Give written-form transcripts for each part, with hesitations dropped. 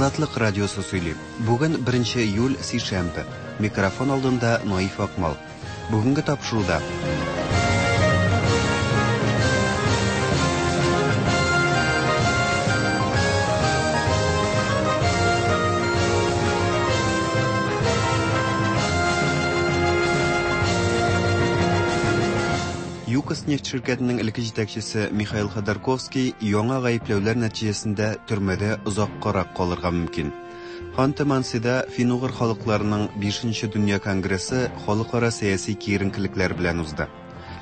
Азатлык радиосы сөйли. Бүген 1 июль, сишәмбе. Микрофон алдында Наиф Акмал. Бүгенге тапшыруда ЮКОС нефть ширкәтенең элекке җитәкчесе Михаил Ходорковский яңа гаепләүләр нәтиҗәсендә төрмәдә озаккарак калырга мөмкин. Ханты-Мансида фин-угыр халыкларының бишенче дөнья конгрессы халыкара сәяси киеренкелекләр белән узды.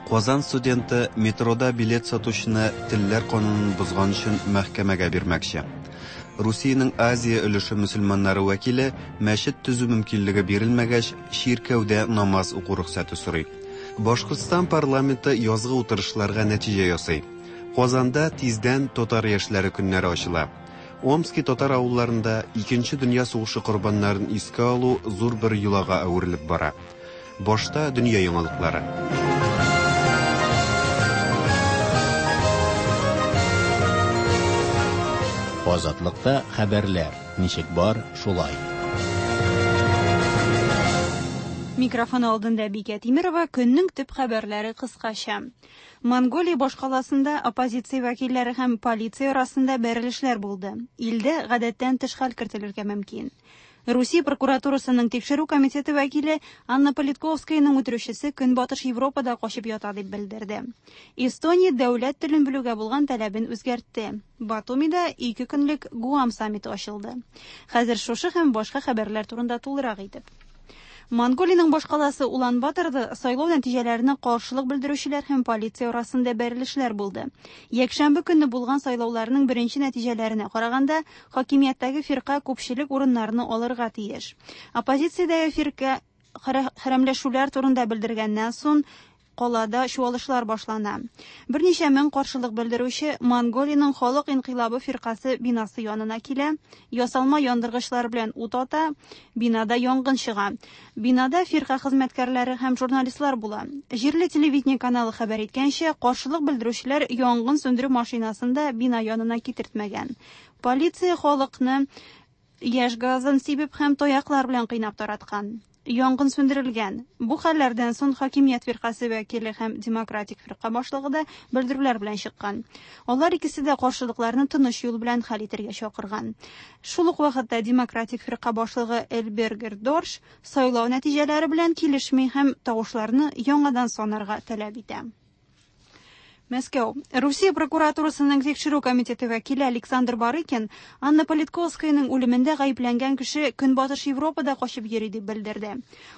Казан студенты метрода билет сатучыны телләр канунын бозган өчен мәхкәмәгә бирмәкче. Русиянең Азия өлеше мөселманнары вәкиле мәчет төзү мөмкинлеге бирелмәгәч, чиркәүдә намаз уку рөхсәте сорый. Башкортстан парламенты язгы утырышларга нәтиҗә ясый. Казанда тиздән Татар яшьләре көннәре ачыла. Омски татар авылларында Икенче дөнья сугышы корбаннарын искә алу зур бер йолага әверелеп бара. Башта дөнья яңалыклары. Азатлыкта хәбәрләр ничек бар, шулай. Микрофон алдында Бикә Тимирова, көннең төп хәбәрләре кыскача. Монголия башкаласында оппозиция вәкилләре һәм полиция арасында бәрелешләр булды. Илдә гадәттән тыш хәл кертелергә мөмкин. Русия прокуратурасының тикшерү комитеты вәкиле Анна Политковскаяның үтерүчесе Көнбатыш Европада качып ята дип белдерде. Эстония дәүләт телен белүгә булган таләбен үзгәртте. Батумида ике көнлек Гуам саммиты ачылды. Хәзер шушы һәм башка хәбәрләр турында тулырак итеп. Монголиянең башкаласы Улан-Баторда сайлау нәтиҗәләренә каршылык белдерүчеләр һәм полиция арасында бәрелешләр булды. Якшәмбе көнне булган сайлауларның беренче нәтиҗәләренә караганда, хакимияттәге фирка күпчелек урыннарны алырга тиеш. Оппозициядәге фирка хәрәмләшүләр турында белдергәннән соң калада чуалышлар башлана. Берничә мең каршылык белдерүче Монголиянең Халык инкыйлабы фиркасы бинасы янына килә, ясалма яндыргычлар белән ут ата, бинада янгын чыга. Бинада фирка хезмәткәрләре һәм журналистлар була. Җирле телевидение каналы хәбәр иткәнчә, каршылык белдерүчеләр янгын сүндерү машинасын да бина янына китертмәгән. Полиция халыкны яшь газын сибеп һәм таяклар белән кыйнап тараткан. Янгын сүндерелгән. Бу хәлләрдән соң хакимият фиркасе вәкиле һәм демократик фирка башлыгы да белдерүләр белән чыккан. Алар икесе дә каршылыкларны тыныч юл белән хәл итәргә чакырган. Шул ук вакытта демократик фирка башлыгы Элбергер Дорш сайлау нәтиҗәләре белән килешми һәм тавышларны яңадан санарга таләп итә. Мәскәү. Русия прокуратурасының тикшерү комитеты вәкиле Александр Барыкин Анна Политковскаяның үлемендә гаепләнгән кеше Көнбатыш Европада качып йөри дип белдерде.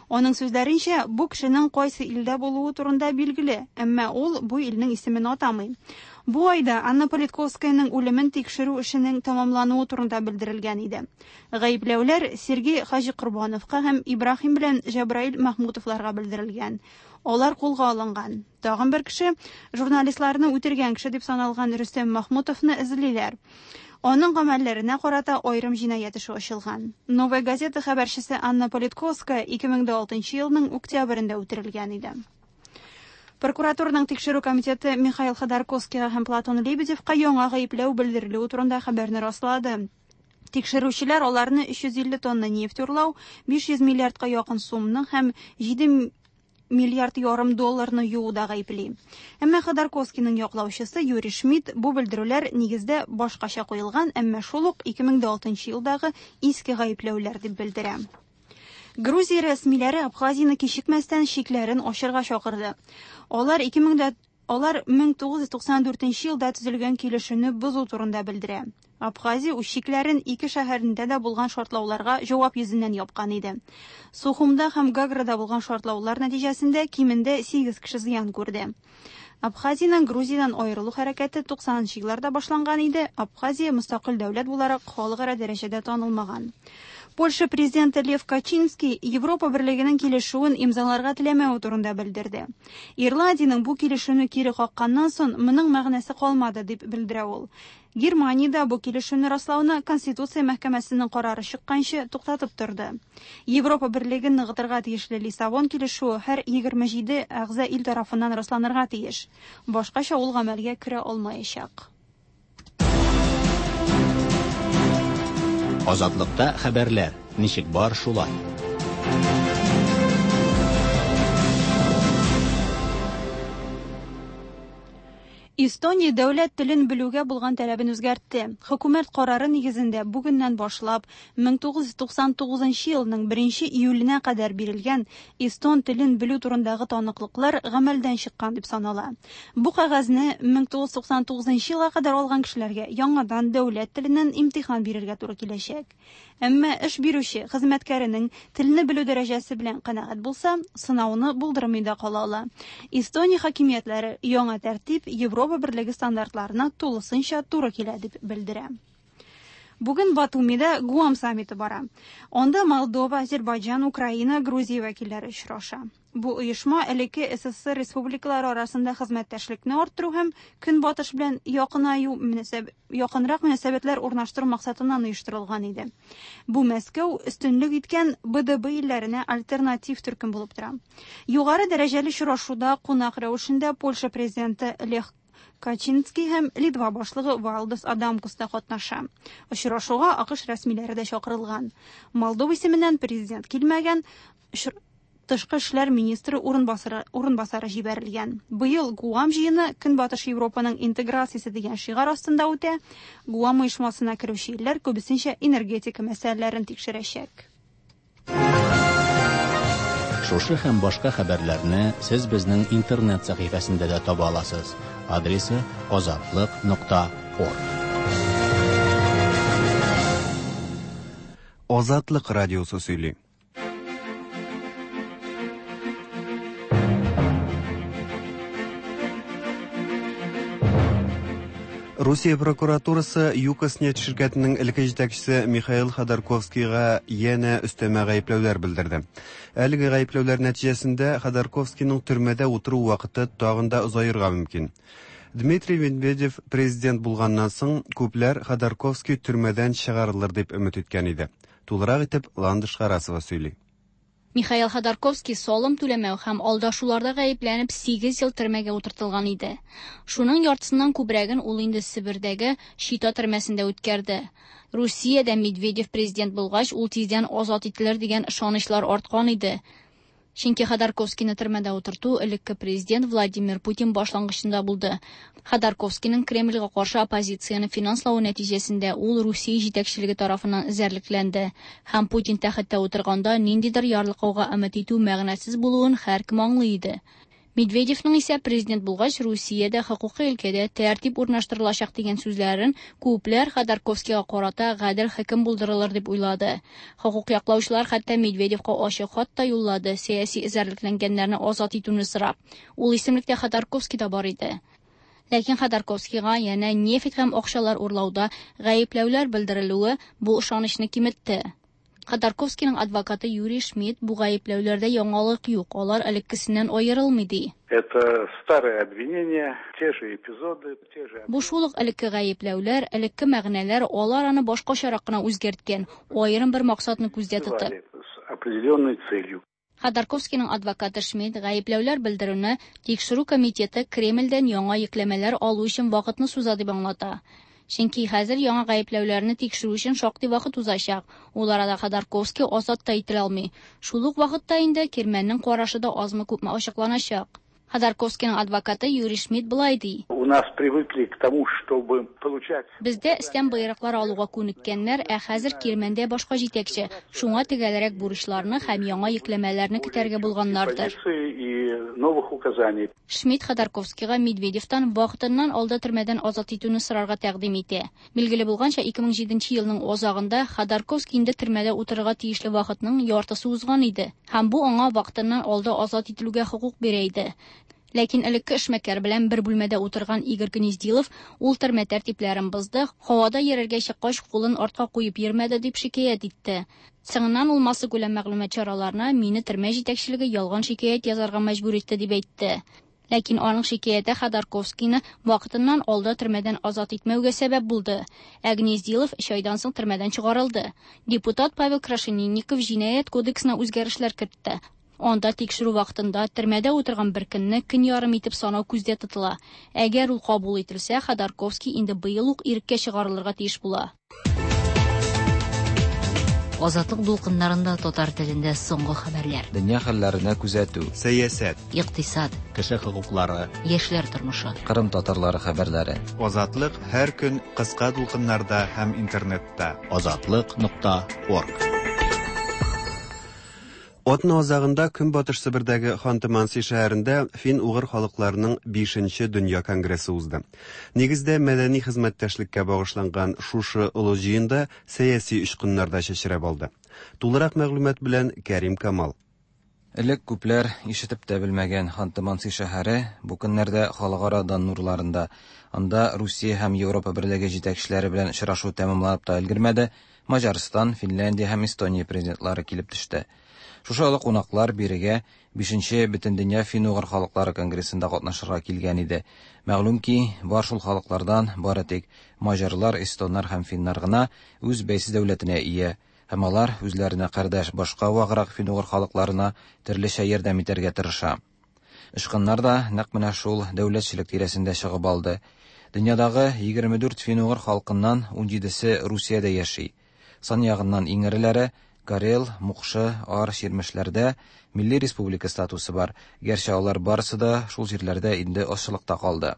Аның сүзләренчә, бу кешенең кайсы илдә булуы турында билгеле, әмма ул бу илнең исемен атамый. Бу айда Анна Политковскаяның үлемен тикшерү эшенең тәмамлануы турында белдерелгән иде. Гаепләүләр Сергей Хаҗикорбановка һәм Ибраһим белән Җабраил Махмутовларга белдерелгән. Алар кулга алынган. Тагын бер кеше журналистларны үтергән кеше дип саналган Рөстәм Махмутовны эзлиләр. Аның гамәлләренә карата аерым җинаять эше ачылган. Новая газета хәбәрчесе Анна Политковская 2006 елның октябрендә үтерелгән иде. Прокуратураның тикшерү комитеты Михаил Ходорковскийга һәм Платон Лебедевка яңа гаепләү белдерелүе турында хәбәрне раслады. Тикшерүчеләр аларны 350 тонна нефть урлау, 500 миллиардка якын сумны һәм 7 миллиард ярым долларны юуда гаепли. Әмма Ходорковскийның яклаучысы Юрий Шмидт бу белдерүләр нигездә башкача куелган, әмма шул ук 2006 елдагы иске гаепләүләр дип белдерә. Грузия рәсмиләре Абхазияны кичекмәстән чикләрен ачырга чакырды. Алар Алар 1994 елда төзелгән килешүне бозу турында белдерә. Абхазия үз чикләрен ике шәһәрендә дә булган шартлауларга җавап йөзеннән япкан иде. Сухумда һәм Гаграда булган шартлаулар нәтиҗәсендә кимендә 8 кеше зыян күрде. Абхазиянең Грузиядән аерылу хәрәкәте 90 елларда башланган иде. Абхазия мөстәкыйль дәүләт буларак халыкара дәрәҗәдә танылмаган. Польша президенты Лев Качинский Европа берлегенең килешүен имзаларга теләмәве турында белдерде. Ирландиянең бу килешүне кире какканнан соң моның мәгънәсе калмады дип белдерә ул. Германиядә бу килешүне раслауны Конституция мәхкәмәсенең карары чыкканчы туктатып торды. Европа берлеген ныгытырга тиешле Лиссабон килешүе һәр 27 әгъза ил тарафыннан расланырга тиеш. Башкача ул гамәлгә керә алмаячак. Азатлыкта хәбәрләр ничек бар шулай. Эстония дәүләт телен белүгә булган таләбен үзгәртте. Хөкүмәт карары нигезендә бүгеннән башлап 1999 елның 1 июленә кадәр бирелгән эстон телен белү турындагы таныклыклар гамәлдән чыккан дип санала. Бу кәгазьне 1999 елга кадәр алган кешеләргә яңадан дәүләт теленнән имтихан бирергә туры киләчәк. Әмма эш бирүче хезмәткәренең телне белү дәрәҗәсе белән канәгать булса, сынауны булдырмый да кала ала. Эстония хакимиятләре яңа тәртип Европа Берлеге стандартларына тулысынча туры килә дип белдерә. Бүген Батумида Гуам саммиты бара. Анда Молдова, Азербайҗан, Украина, Грузия вәкилләре очраша. Бу оешма элекке СССР республикалары арасында хезмәттәшлекне арттыру һәм Көнбатыш белән якынаю якынрак мөнәсәбәтләр урнаштыру максатыннан оештырылган иде. Бу Мәскәү өстенлек иткән БДБ илләренә альтернатив төркем булып тора. Югары дәрәҗәле очрашуда кунак рәвешендә Польша президенты Лех Качинский һәм Литва башлыгы Валдас Адамкус та катнаша. Очрашуга АКШ рәсмиләре дә чакырылган. Молдова исеменнән президент килмәгән, тышкы эшләр министры урынбасары, урынбасары җибәрелгән. Быел Гуам җыены Көнбатыш Европаның интеграциясе дигән шигарь астында үтә. Гуам оешмасына керүче илләр күбесенчә энергетика мәсьәләләрен тикшерәчәк. Шушы һәм башка хәбәрләрне сез безнең интернет сәхифәсендә дә таба аласыз. Адресы azatliq.org. Азатлык радиосы сөйли. Русия прокуратурасы ЮКОС нефть ширкәтенең элекке җитәкчесе Михаил Ходорковскийга янә өстәмә гаепләүләр белдерде. Әлеге гаепләүләр нәтиҗәсендә Ходорковскийның төрмәдә утыру вакыты тагын да озаерга мөмкин. Дмитрий Медведев президент булганнан соң күпләр Ходорковский төрмәдән чыгарылыр дип өмет иткән иде. Тулырак итеп Ландыш Харасова сөйли. Михаил Ходорковский салым түләмәү һәм алдашуларда гаепләнеп 8 ел төрмәгә утыртылган иде. Шуның яртысыннан күбрәген ул инде Себердәге Чита төрмәсендә үткәрде. Русиядә Медведев президент булгач, ул тиздән азат ителер дигән ышанычлар арткан иде. Чөнки Ходорковскийны төрмәдә утырту элекке президент Владимир Путин башлангычында булды. Ходорковскийның Кремльгә каршы оппозицияне финанславы нәтиҗәсендә ул Русия җитәкчелеге тарафыннан эзәрлекләнде. Һәм Путин тәхеттә утырганда ниндидер ярлыкауга өмет итү мәгънәсез булуын һәркем аңлый иде. Медведевның исә президент булгач Русиядә хокукый өлкәдә тәртип урнаштырылачак дигән сүзләрен күпләр Ходорковскийга карата гадел хөкем булдырылыр дип уйлады. Хокук яклаучылар хәтта Медведевка ачык хат та юллады, сәяси эзәрлекләнгәннәрне азат итүне сорап. Ул исемлектә Ходорковский да бар иде. Ләкин Ходорковскийга янә нефть һәм акчалар урлауда гаепләүләр белдерелүе бу ышанычны киметте. Ходорковскийның адвокаты Юрий Шмидт бу гаепләүләрдә яңалык юк, алар элеккесеннән аерылмый ди. Это старые обвинения, те же эпизоды, те же... Бу шул ук элекке гаепләүләр, элекке мәгънәләр, алар аны башкачарак кына үзгәрткән, аерым бер максатны күздә тотып. С определенной целью. Ходорковскийның адвокаты Шмидт гаепләүләр белдерүне тикшерү комитеты Кремльдән яңа йөкләмәләр алу өчен вакытны суза дип аңлата. Чөнки хәзер яңа гаепләүләрне тикшерү өчен шактый вакыт узачак. Ул арада Ходорковский азат та ителә алмый. Шул ук вакытта инде Кирмәннең карашы да азмы-күпме ачыкланачак. Ходорковскийның адвокаты Юрий Шмидт былай ди. У нас привыкли к тому, чтобы получать... Бездә өстән боерыклар алуга күнеккәннәр, ә хәзер Кирмәндә башка җитәкче. Шуңа төгәлрәк бурычларны һәм яңа йөкләмәләрне көтәргә булганнардыр. И новых указаний. Шмидт Ходорковскийга Медведевтан вакытыннан алда төрмәдән азат итүне сорарга тәкъдим итә. Билгеле булганча, 2007 елның азагында Ходорковский инде төрмәдә утырырга тиешле вакытның яртысы узган иде. Һәм бу аңа вакытыннан алда азат ителүгә хокук бирә иде. Ләкин элекке эшмәкәр белән бер бүлмәдә утырган Игорь Гнездилов ул төрмә тәртипләрен бозды, һавада йөрергә чыккач кулын артка куеп йөрмәде дип шикаять итте. Соңыннан ул массакүләм мәгълүмат чараларына мине төрмә җитәкчелеге ялган шикаять язарга мәҗбүр итте дип әйтте. Ләкин аның шикаяте Ходорковскийны вакытыннан алда төрмәдән азат итмәүгә сәбәп булды. Ә Гнездилов өч айдан соң төрмәдән чыгарылды. Депутат Павел Крашенинников җинаять кодексына үзгәрешләр кертте. Анда тикшерү вакытында төрмәдә утырган бер көнне көн ярым итеп санау күздә тотыла. Әгәр ул кабул ителсә, Ходорковский инде быел ук иреккә чыгарылырга тиеш була. Азатлык дулкыннарында татар телендә соңгы хәбәрләр. Дөнья хәлләренә күзәтү. Сәясәт. Икътисад. Кеше хокуклары. Яшьләр тормышы. Кырым татарлары хәбәрләре. Азатлык һәр көн кыска дулкыннарда һәм интернетта. Азатлык.орг. Атна азагында Көнбатыш Себердәге Ханты-Манси шәһәрендә фин-угыр халыкларының 5нче дөнья конгрессы узды. Нигездә мәдәни хезмәттәшлеккә багышланган шушы олы җыенда сәяси очкыннар да чәчрәп алды. Тулырак мәгълүмат белән Кәрим Камал. Элек күпләр ишетеп тә белмәгән Ханты-Манси шәһәре бу көннәрдә халыкара дан нурларында. Анда Русия һәм Европа берлеге җитәкчеләре белән очрашу тәмамланып та өлгермәде, Маҗарстан, Финляндия һәм Эстония президентлары килеп төште. Шушы олы кунаклар бирегә 5нче Бөтендөнья фин-угыр халыклары конгрессында катнашырга килгән иде. Мәгълүм ки, бар шул халыклардан бары тик маҗарлар, эстоннар һәм финнар гына үз бәйсез дәүләтенә ия һәм алар үзләренә кардәш башка ваграк фин-угыр халыкларына төрлечә ярдәм итәргә тырыша. Очкыннар да нәкъ менә шул дәүләтчелек тирәсендә чыгып алды. Дөньядагы 24 фин-угыр халкыннан 17се Русиядә яши. Сан ягыннан иң эреләре Карел, Мукшы, Ар, Чирмешләрдә милли республика статусы бар, гәрчә алар барысы да шул җирләрдә инде азчылыкта калды.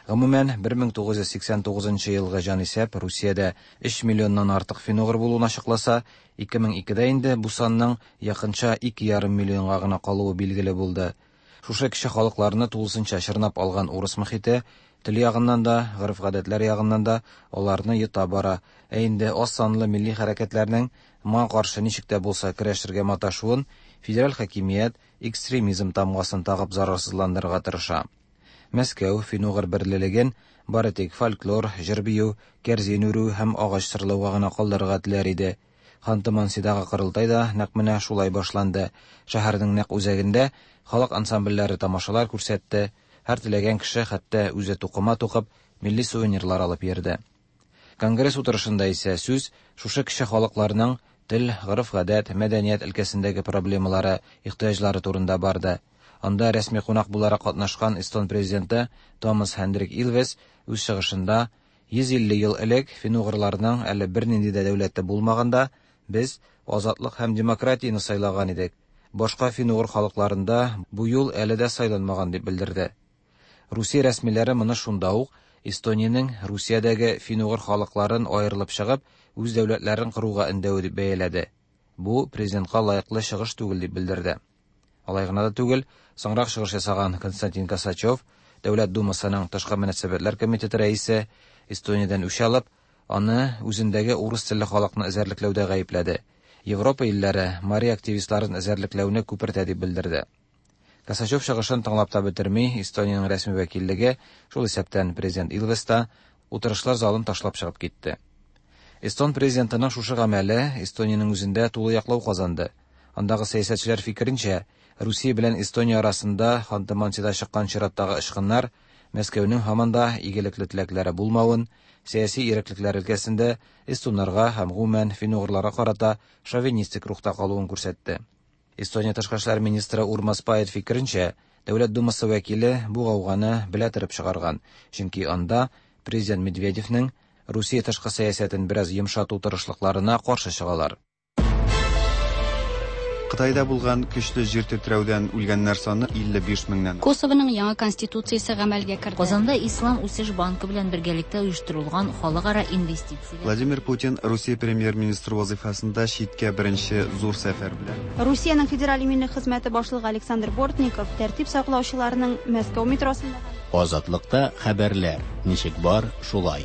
Гомумән, 1989 елгы җанисәп Русиядә 3 миллионнан артык фин-угыр булуын ачыкласа, 2002дә инде бу санның якынча 2,5 миллионга гына калуы билгеле булды. Шушы кече халыкларны тулысынча чорнап алган урыс мохите тел ягыннан да, гореф-гадәтләр ягыннан да аларны йота бара. Ә инде аз санлы милли хәрәкәтләрнең моңа каршы ничек тә булса көрәшергә маташуын федераль хакимият экстремизм тамгасын тагып зарарсызландырырга тырыша. Мәскәү фин-угыр берлелеген бары тик фольклор, җыр-бию, кәрзин үрү һәм агач сырлауга гына калдырырга теләр иде. Ханты-Мансидагы корылтай да нәкъ менә шулай башланды. Шәһәрнең нәкъ үзәгендә халык ансамбльләре тамашалар күрсәтте, һәр теләгән кеше хәтта үзе тукыма тукып, милли сувенирлар алып йөрде. Конгресс утырышында исә сүз шушы кече халыкларның тел, гореф-гадәт, мәдәният өлкәсендәге проблемалары, ихтыяҗлары турында барды. Анда рәсми кунак буларак катнашкан эстон президенты Томас Хендрик Илвес үз чыгышында 150 ел элек фин-угырларның әле бернинди дә дәүләте булмаганда без азатлык һәм демократияне сайлаган идек. Башка фин-угыр халыкларында бу юл әле дә сайланмаган дип белдерде. Русия рәсмиләре моны шунда ук Эстониянең Русиядәге фин-угыр халыкларын аерылып чыгып, үз дәүләтләрен коруга өндәве дип бәяләде. Бу президентка лаеклы чыгыш түгел дип белдерде. Алай гына да түгел, соңрак чыгыш ясаган Константин Косачев, Дәүләт Думасының тышкы мөнәсәбәтләр комитеты рәисе, Эстониядән үч алып, аны үзендәге урыс телле халыкны эзәрлекләүдә гаепләде. Европа илләре Мари активистларын эзәрлекләүне күпертә дип белдерде. Косачев чыгышын тыңлап та бетерми, Эстониянең рәсми вәкиллеге, шул исәптән президент Илвес та, утырышлар залын ташлап чыгып китте. Эстон президентының шушы гамәле Эстониянең үзендә тулы яклау казанды. Андагы сәясәтчеләр фикеренчә, Русия белән Эстония арасында Ханты-Мансида чыккан чираттагы очкыннар Мәскәүнең һаман да игелекле теләкләре булмавын, сәяси иреклекләр өлкәсендә эстоннарга һәм гомумән фин-угырларга карата шовинистик рухта калуын күрсәтте. Эстония тышкы эшләр министры Урмас Пает фикеренчә, Дәүләт Думасы вәкиле бу гауганы белә торып чыгарган, чөнки анда президент Медведевнең Русия тышкы сәясәтен бераз йомшату тырышлыкларына каршы чыгалар. Кытайда булган көчле җир тетрәүдән үлгәннәр саны 55 меңнән. Косованың яңа конституциясе гамәлгә керде. Казанда Ислам үсеш банкы белән бергәлектә оештырылган халыкара инвестицияләр. Владимир Путин Русия премьер-министры вазифасында читкә беренче зур сәфәр белән. Русиянең федераль иминлек хезмәте башлыгы Александр Бортников тәртип саклаучыларның Мәскәү метросында Азатлыкта хәбәрләр ничек бар, шулай.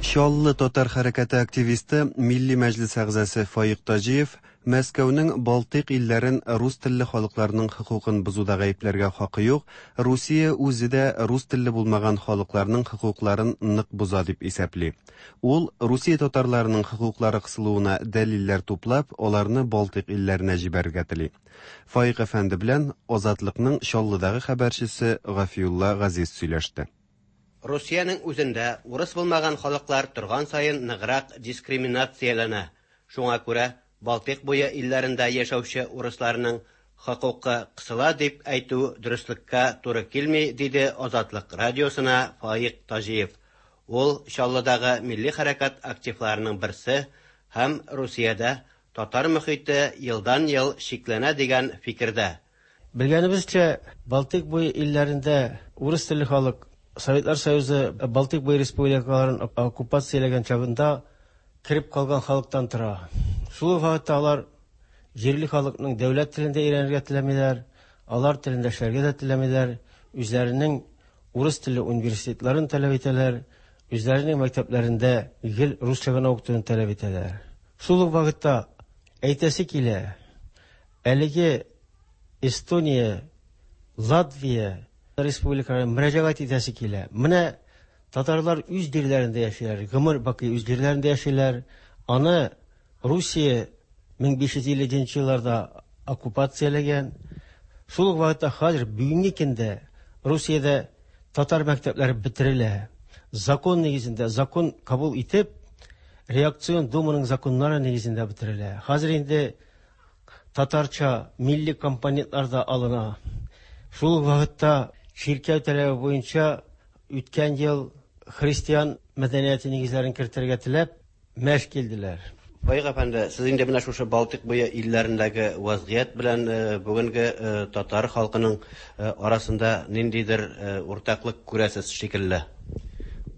Чаллы татар хәрәкәте активисты, Милли мәҗлес әгъзасы Фаик Таҗиев Мәскәүнең Балтыйк илләрен рус телле халыкларның хокукын бозуда гаепләргә хакы юк, Русия үзе дә рус телле булмаган халыкларның хокукларын нык боза дип исәпли. Ул Русия татарларының хокуклары кысылуына дәлилләр туплап, аларны Балтыйк илләренә җибәрергә тели. Фаик әфәнде белән Азатлыкның Чаллыдагы хәбәрчесе Гафиулла Газиз сөйләште. Русиянең үзендә урыс булмаган халыклар торган саен ныграк дискриминацияләнә. Шуңа күрә Балтыйк буе илләрендә яшәүче урысларның хокукы кысыла дип әйтү дөреслеккә туры килми, диде Азатлык радиосына Фаик Таҗиев. Ул Чаллыдагы милли хәрәкәт активларының берсе һәм Русиядә татар мөхите елдан-ел чикләнә дигән фикердә. Белгәнебезчә, Балтыйк буе илләрендә урыс телле халык Советлар Союзы Балтыйк буе республикаларын оккупацияләгән чагында кереп калган халыктан тора. Шул ук вакытта алар җирле халыкның дәүләт телендә өйрәнергә теләмиләр, алар телендә эшләргә дә теләмиләр, үзләренең урыс телле университетларын таләп итәләр, үзләренең мәктәпләрендә гел русча гына укытуны таләп итәләр. Шул ук вакытта әйтәсе килә, әлеге Эстония, Латвия республикаларына мөрәҗәгать итәсе килә. Менә татарлар үз җирләрендә яшиләр, гомер бакый үз җирләрендә яшиләр. Аны Русия 1550 елларда оккупацияләгән. Шул ук вакытта хәзер бүгенге көндә Русиядә татар мәктәпләре бетерелә. Закон нигезендә, закон кабул итеп, реакцион думаның законнары нигезендә бетерелә. Хәзер инде татарча милли компонентлар да алына. Шул ук вакытта чиркәү таләбе буенча үткән ел христиан мәдәнияте нигезләрен кертергә теләп мәш килделәр. Фаик әфәнде, сез инде менә шушы Балтыйк буе илләрендәге вазгыять белән бүгенге татар халкының арасында ниндидер уртаклык күрәсез шикелле.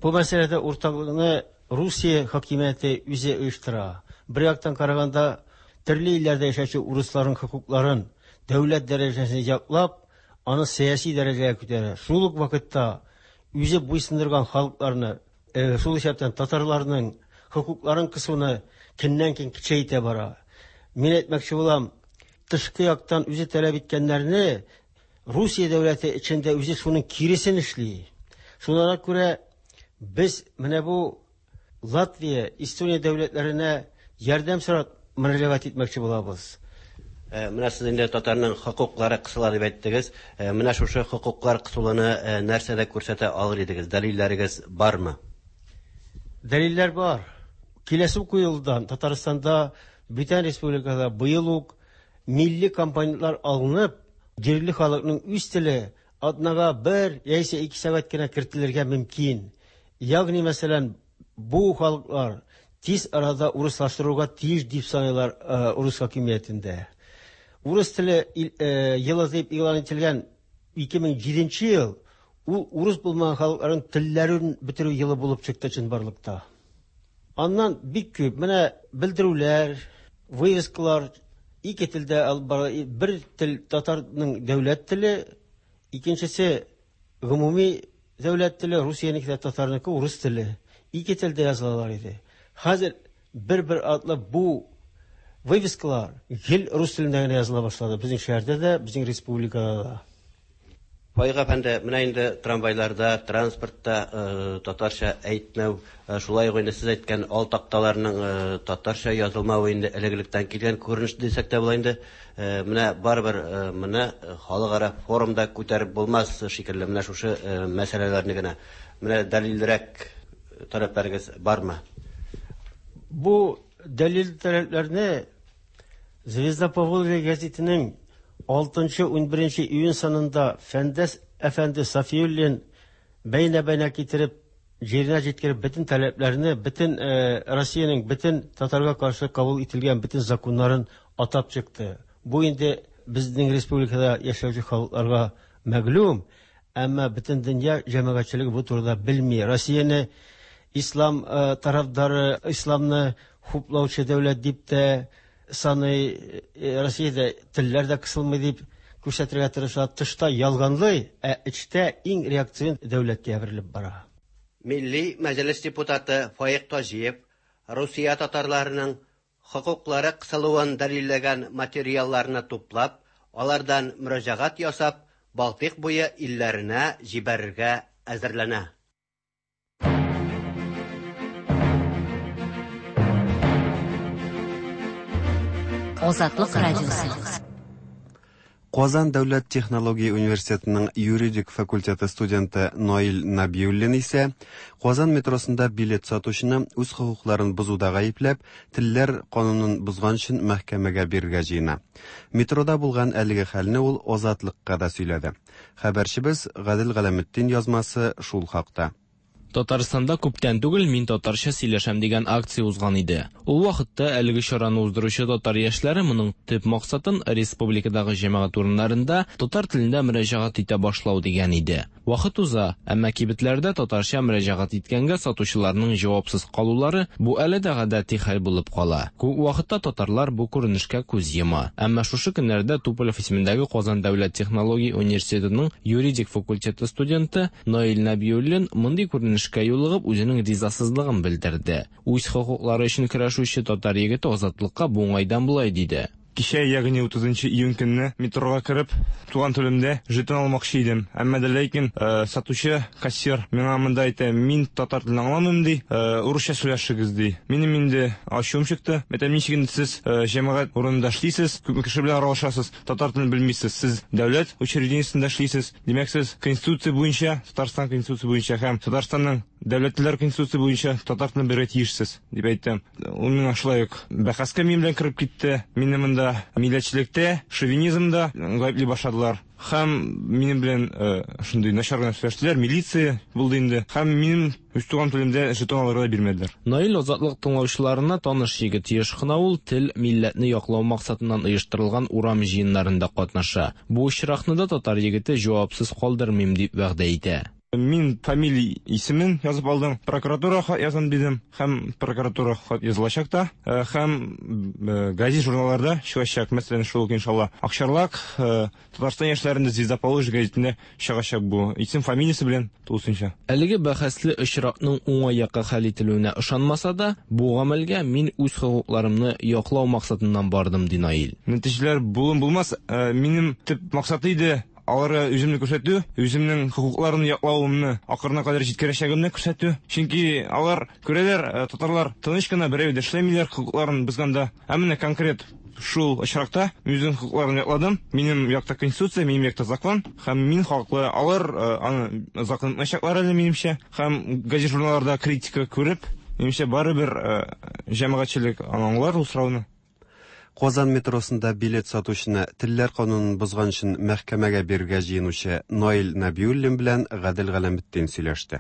Бу мәсьәләдә уртаклыкны Русия хакимияте үзе оештыра. Бер яктан караганда, төрле илләрдә яшәүче урысларның хокукларын дәүләт дәрәҗәсендә яклап, аны сәяси дәрәҗәгә күтәрә. Шул ук вакытта үзе буйсындырган халыкларны, шул исәптән татарларның хокукларын кысуны көннән-көн көчәйтә бара. Мин әйтмәкче булам, тышкы яктан үзе таләп иткәннәрне Русия дәүләте эчендә үзе шуның киресен эшли. Шуңа күрә без менә бу Латвия, Эстония дәүләтләренә ярдәм сорап мөрәҗәгать итмәкче булабыз. Менә сез инде татарның хокуклары кысыла дип әйттегез. Менә шушы хокуклар кысылуны нәрсәдә күрсәтә алыр идегез? Дәлилләрегез бармы? Дәлилләр бар. Киләсе уку елдан Татарстанда, бүтән республикада быел ук милли компонентлар алынып, җирле халыкның үз теле атнага бер яисә ике сәгать кенә кертелергә мөмкин. Ягъни, мәсәлән, бу халыклар тиз арада урыслаштыруга тиеш дип саныйлар урыс хакимиятендә. Урыс теле елы дип игълан ителгән 2007 ел ул урыс булмаган халыкларның телләрен бетерү елы булып чыкты чынбарлыкта. Аннан бик күп менә белдерүләр, вывескалар ике телдә алып бара. Бер тел татарның дәүләт теле, икенчесе гомуми дәүләт теле, Русиянеке дә татарныкы урыс теле. Ике телдә язылалар иде. Хәзер бер-бер атлы бу вывескалар гел рус телендә генә языла башлады. Безнең шәһәрдә дә, безнең республикада да. Фаик әфәнде, менә инде трамвайларда, транспортта татарча әйтмәү, шулай ук инде сез әйткән ал такталарның татарча язылмавы инде элек-электән килгән күренеш дисәк тә була инде. Менә барыбер моны халыкара форумда күтәреп булмас шикелле, менә шушы мәсьәләләрне генә. Менә дәлиллерәк таләпләрегез бармы? Бу дәлил таләпләрне Звезда Поволжья гәзитенең 6-11 июнь санында Фәндәс әфәнде Сафиуллин бәйнә-бәйнә китереп, җиренә җиткереп бөтен таләпләрне, бөтен Россиянең бөтен татарга каршы кабул ителгән бөтен законнарын атап чыкты. Бу инде безнең республикада яшәүче халыкларга мәгълүм, әмма бөтен дөнья җәмәгатьчелеге бу турыда белми. Россияне ислам тарафдары, исламны хуплаучы дәүләт дип тә саный, Россиядә телләр дә кысылмый дип күрсәтергә тырыша. Тышта ялганлый, ә эчтә иң реакцион дәүләткә әверелеп бара. Милли Мәҗлес депутаты Фаик Таҗиев Русия татарларының хокуклары кысылуын дәлилләгән материалларны туплап, алардан мөрәҗәгать ясап, Балтыйк буе илләренә җибәрергә әзерләнә. Азатлык радиосы. Казан дәүләт технология университетының юридик факультеты студенты Наил Набиуллин исә Казан метросында билет сатучыны үз хокукларын бозуда гаепләп, телләр канунын бозган өчен мәхкәмәгә бирергә җыена. Метрода булган әлеге хәлне ул Азатлыкка да сөйләде. Хәбәрчебез Гадел Галәметдин язмасы шул хакта. Татарстанда күптән түгел Мин татарча сөйләшәм дигән акция узган иде. Ул вакытта әлеге чараны уздыручы татар яшьләре моның төп максатын республикадагы җәмәгать урыннарында татар телендә мөрәҗәгать итә башлау дигән иде. Вакыт уза, әмма кибетләрдә татарча мөрәҗәгать иткәнгә сатучыларның җавапсыз калулары бу әле дә гадәти хәл булып кала. Күп вакытта татарлар бу күренешкә күз йома. Әмма шушы көннәрдә Туполев исемендәге Казан дәүләт технология университетының юридик факультеты студенты Наил Нәбиуллин мондый күренешкә юлыгып үзенең ризасызлыгын белдерде. Үз хокуклары өчен көрәшүче татар егете Азатлыкка бу уңайдан болай диде. Кичә, ягъни 30 июнь көнне метрога кереп, туган телемдә жетон алмакчы идем. Әмма дә ләкин сатучы, кассир миңа монда әйтә, мин татар телен аңламыйм, ди, урысча сөйләшегез, ди. Минем инде ачуым чыкты. Әйтәм, ничек инде сез җәмәгать урынында эшлисез, күпме кеше белән аралашасыз, татар телен белмисез. Сез дәүләт учреждениесендә эшлисез. Димәк, сез Конституция буенча, Татарстан Конституция буенча һәм Татарстанның дәүләт телләре Конституция буенча татар телен белергә тиешсез, дип әйттем. Ул миңа шулай ук бәхәскә минем белән кереп китте. Мине монда милләтчелектә, шовинизмда гаепли башладылар. Һәм минем белән шундый начар гына сөйләштеләр, милиция булды инде. Һәм минем үз туган телемдә жетон алырга да бирмәделәр. Наил Азатлык тыңлаучыларына таныш егет. Еш кына ул тел, милләтне яклау максатыннан оештырылган урам җыеннарында катнаша. Бу очракны да татар егете җавапсыз калдырмыйм дип вәгъдә итә. Мин фамилия исемен язып алдым, прокуратура хат язам дидем, һәм прокуратура хат язылачак та, һәм газет журналларда чыгачак, мәсәлән, шул ук иншалла Акчарлак, Татарстан яшьләрендә Звезда Поволжья гәзитендә чыгачак бу исем фамилиясе белән тулысынча. Әлеге бәхәсле очракның уңай якка хәл ителүенә ышанмаса да, бу гамәлгә мин үз хокукларымны яклау максатыннан бардым, ди Наил. Нәтиҗәләр булын булмас, минем төп максат иде аларга үземне күрсәтү, үземнең хокукларымны яклавымны ахырына кадәр җиткерәчәгемне күрсәтү. Чөнки алар күрәләр, татарлар тыныч кына берәү дә эшләмиләр хокукларын бозганда. Ә менә конкрет шул очракта үземнең хокукларымны якладым. Минем якта конституция, минем якта закон, һәм мин хаклы. Алар аны закон итмәячәкләр әле, минемчә. Һәм газет журналларда критика күреп, минемчә, барыбер җәмәгатьчелек аны аңлар ул сорауны. Казан метросында билет сатучыны телләр канунын бозган өчен мәхкәмәгә бирергә җыенучы Наил Нәбиуллин белән Гадел Галәметдин сөйләште.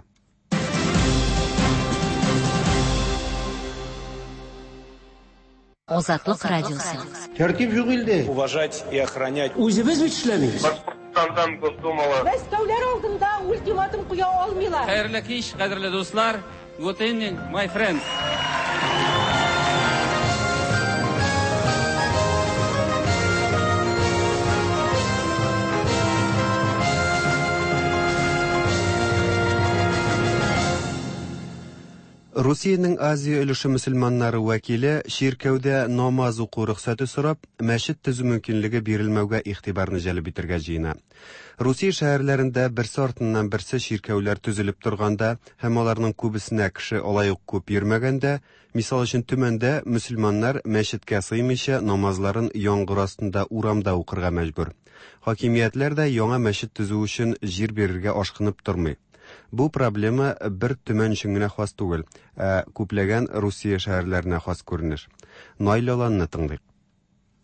Азатлык радиосы. Тәртип юк илдә. Уважать и охранять. Үзебез бит эшләмибез. Башкортстандан Госдумалы. Мәскәүләр алдында ультиматум куя алмыйлар. Хәерле кич, кадерле дуслар. Good evening, my friends. Русиянең Азия өлеше мөселманнары вәкиле чиркәүдә намаз уку рөхсәте сорап, мәчет төзү мөмкинлеге бирелмәүгә игътибарны җәлеп итәргә җыена. Русия шәһәрләрендә берсе артыннан берсе чиркәүләр төзелеп торганда һәм аларның күбесенә кеше алай ук күп йөрмәгәндә, мисал өчен Төмәндә мөселманнар мәчеткә сыймыйча намазларын яңгыр астында урамда укырга мәҗбүр. Хакимиятләр дә яңа мәчет төзү өчен җир бирергә ашкынып тормый. Бу проблема бер Төмән өчен генә хас түгел, ә күпләгән Русия шәһәрләренә хас күренеш. Наил Аланны тыңлыйк.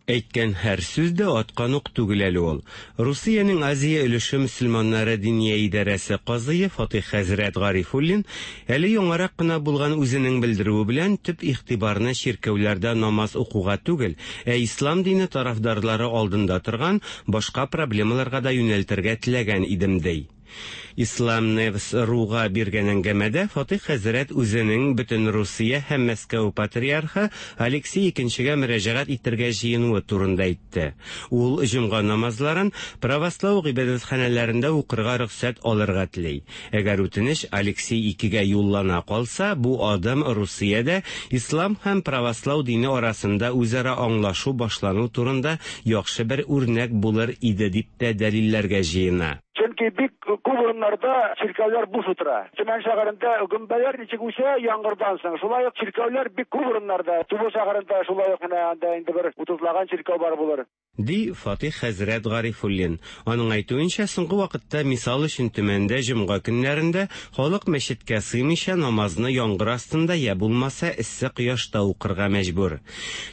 Әйткән һәр сүз дә аткан ук түгел әле ул. Русиянең Азия өлеше мөселманнары диния идарәсе казые Фатих хәзрәт Гарифуллин әле яңарак кына булган үзенең белдерүе белән төп игътибарны чиркәүләрдә намаз укуга түгел, ә ислам дине тарафдарлары алдында торган башка проблемаларга да юнәлтергә теләгән идем, ди. Ислам Невс Руга биргән әңгәмәдә Фатих хәзрәт үзенең бөтен Русия һәм Мәскәү патриархы Алексей II-гә мөрәҗәгать итәргә җыенуы турында әйтте. Ул җомга намазларын правослау гыйбадәтханәләрендә укырга рөхсәт алырга тели. Әгәр үтенеч Алексей II-гә юллана калса, бу адым Русиядә ислам һәм правослау дине арасында үзара аңлашу башлану турында яхшы бер үрнәк булыр иде дип тә дәлилләргә җыена. Чөнки бик күп урыннарда чиркәүләр буш утыра. Төмән шәһәрендә гөмбәләр ничек үсә яңгырдан соң, шулай ук чиркәүләр бик күп урыннарда. Тубыл шәһәрендә шулай ук менә анда инде бер 30лаган чиркәү бар булыр. Ди Фатих хәзрәт Гарифуллин. Аның әйтүенчә, соңгы вакытта мисал өчен Төмәндә җомга көннәрендә халык мәчеткә сыймыйча намазны яңгыр астында я булмаса эссе кояшта укырга мәҗбүр.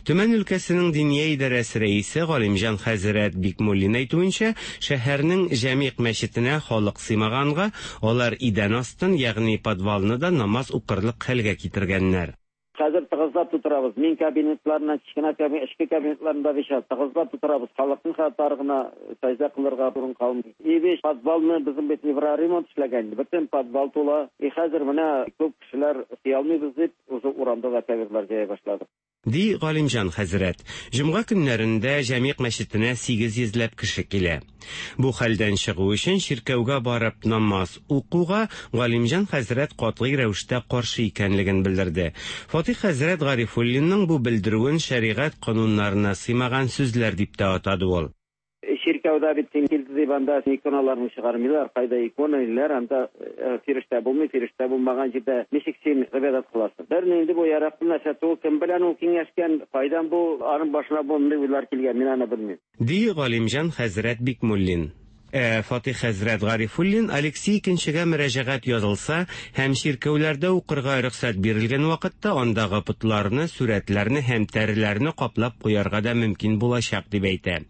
Төмән өлкәсенең диния идарәсе рәисе Галимҗан хәзрәт Бикмуллин әйтүенчә, шәһәрнең Җәмигъ мәчетендә мәчетенә халык сыймаганга, алар идән астын, ягъни подвалны да намаз укырлык хәлгә китергәннәр. Хәзер тыгызлап тутырабыз. Мин кабинетларына, кечкенә кабинет, эчке кабинетларында бит тыгызлап тутырабыз. Халыкның хәтта тар гына сәҗдә кылырга урын калмый. И бит подвалны безнең бит евроремонт эшләгән. Бөтен подвал тула. И хәзер менә күп кешеләр сыя алмыйбыз дип, уже урамда да коверлар җәя башладык. Ди Галимҗан хәзрәт. Җомга көннәрендә Җәмигъ мәчетенә 800 ләп кеше килә. Бу хәлдән чыгу өчен чиркәүгә барып намаз укуга Галимҗан хәзрәт катгый рәвештә каршы икәнлеген белдерде. Фатих хәзрәт Гарифуллинның бу белдерүен шәригать кануннарына сыймаган сүзләр дип тә атады ул. Чиркәүдә бит син килде дип анда иконаларны чыгармыйлар. Кайда икона ниләр, анда фирештә булмый, фирештә булмаган җирдә ничек син гыйбадәт кыласың? Бернинди бу яраклы нәрсә түгел. Кем белән ул киңәшкән, кайдан бу аның башына мондый уйлар килгән, мин аны белмим. Ди Галимҗан хәзрәт Бикмуллин. Ә Фатих хәзрәт Гарифуллин Алексей Икенчегә мөрәҗәгать язылса һәм чиркәүләрдә укырга рөхсәт бирелгән вакытта андагы потларны, сурәтләрне һәм тәреләрне каплап куярга да мөмкин булачак дип әйтә.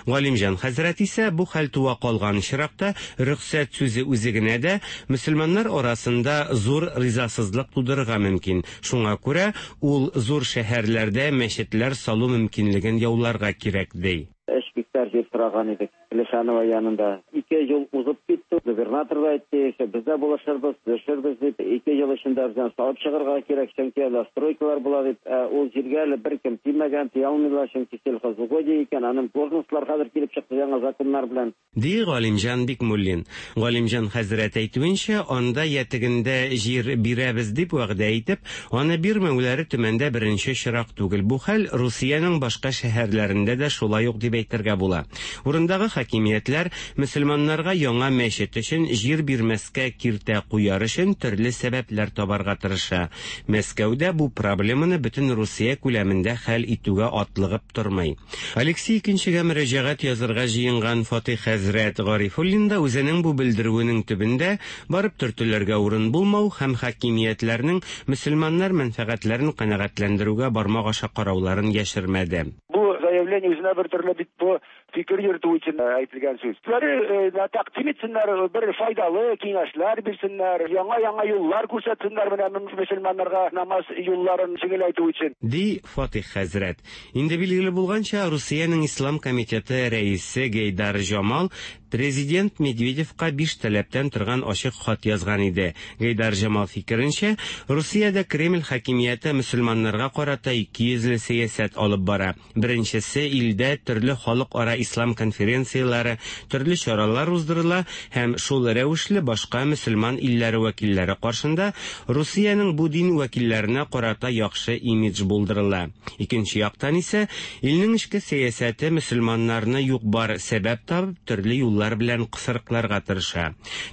Галимҗан хәзрәт исә бу хәл туа калган очракта рөхсәт сүзе үзе генә дә мөселманнар арасында зур ризасызлык тудырырга мөмкин. Шуңа күрә ул зур шәһәрләрдә мәчетләр салу мөмкинлеген яуларга кирәк ди. Өч гектар җир сораган идек Плешанова янында. Ике ел узып китте. Губернатор да әйтте, без дә булышырбыз, төшербез дип. Ике ел эчендә бездән салып чыгарга кирәк, чөнки әле стройкалар була дип. Ә ул җиргә әле беркем тимәгән, тия алмыйлар, чөнки сельхозугодие икән, аның должностьлар хәзер килеп чыкты яңа законнар белән. Ди Галимҗан Бикмуллин. Галимҗан хәзрәт әйтүенчә, анда я тегендә җир бирәбез дип вәгъдә итеп, аны бирмәүләре Төмәндә беренче очрак түгел. Бу хәл Русиянең башка шәһәрләрендә дә шулай ук дип әйтергә була. Урындагы хакимиятләр мөселманнарга яңа мәчет өчен җир бирмәскә киртә куяр өчен төрле сәбәпләр табарга тырыша. Мәскәү дә бу проблеманы бөтен Русия күләмендә хәл итүгә атлыгып тормый. Алексей Икенчегә мөрәҗәгать язырга җыенган Фатих хәзрәт Гарифуллин да үзенең бу белдерүенең төбендә барып төртелергә урын булмау һәм хакимиятләрнең мөселманнар мәнфәгатьләрен канәгатьләндерүгә бармак аша карауларын яшермәде. Бу заявление үзенә бер төрле бит бу фикер йөртү өчен әйтелгән сүз. Үзләре тәкъдим итсеннәр, бер файдалы киңәшләр бирсеннәр, яңа-яңа юллар күрсәтсеннәр менә мөселманнарга намаз юлларын җиңеләйтү өчен. Ди Фатих хәзрәт. Инде билгеле булганча, Русиянең Ислам комитеты рәисе Гейдар Җамал президент Медведевка биш таләптән торган ачык хат язган иде. Гейдар Җамал фикеренчә, Русиядә Кремль хакимияте мөселманнарга карата икейөзле сәясәт алып бара. Беренчесе, илдә төрле халыкара ислам конференцияләре, төрле чаралар уздырыла һәм шул рәвешле башка мөселман илләре вәкилләре каршында Русиянең бу дин вәкилләренә карата яхшы имидж булдырыла. Икенче яктан исә, илнең эчке сәясәте мөселманнарны юк-бар сәбәп табып, төрле юллар белән кысрыкларга тырыша.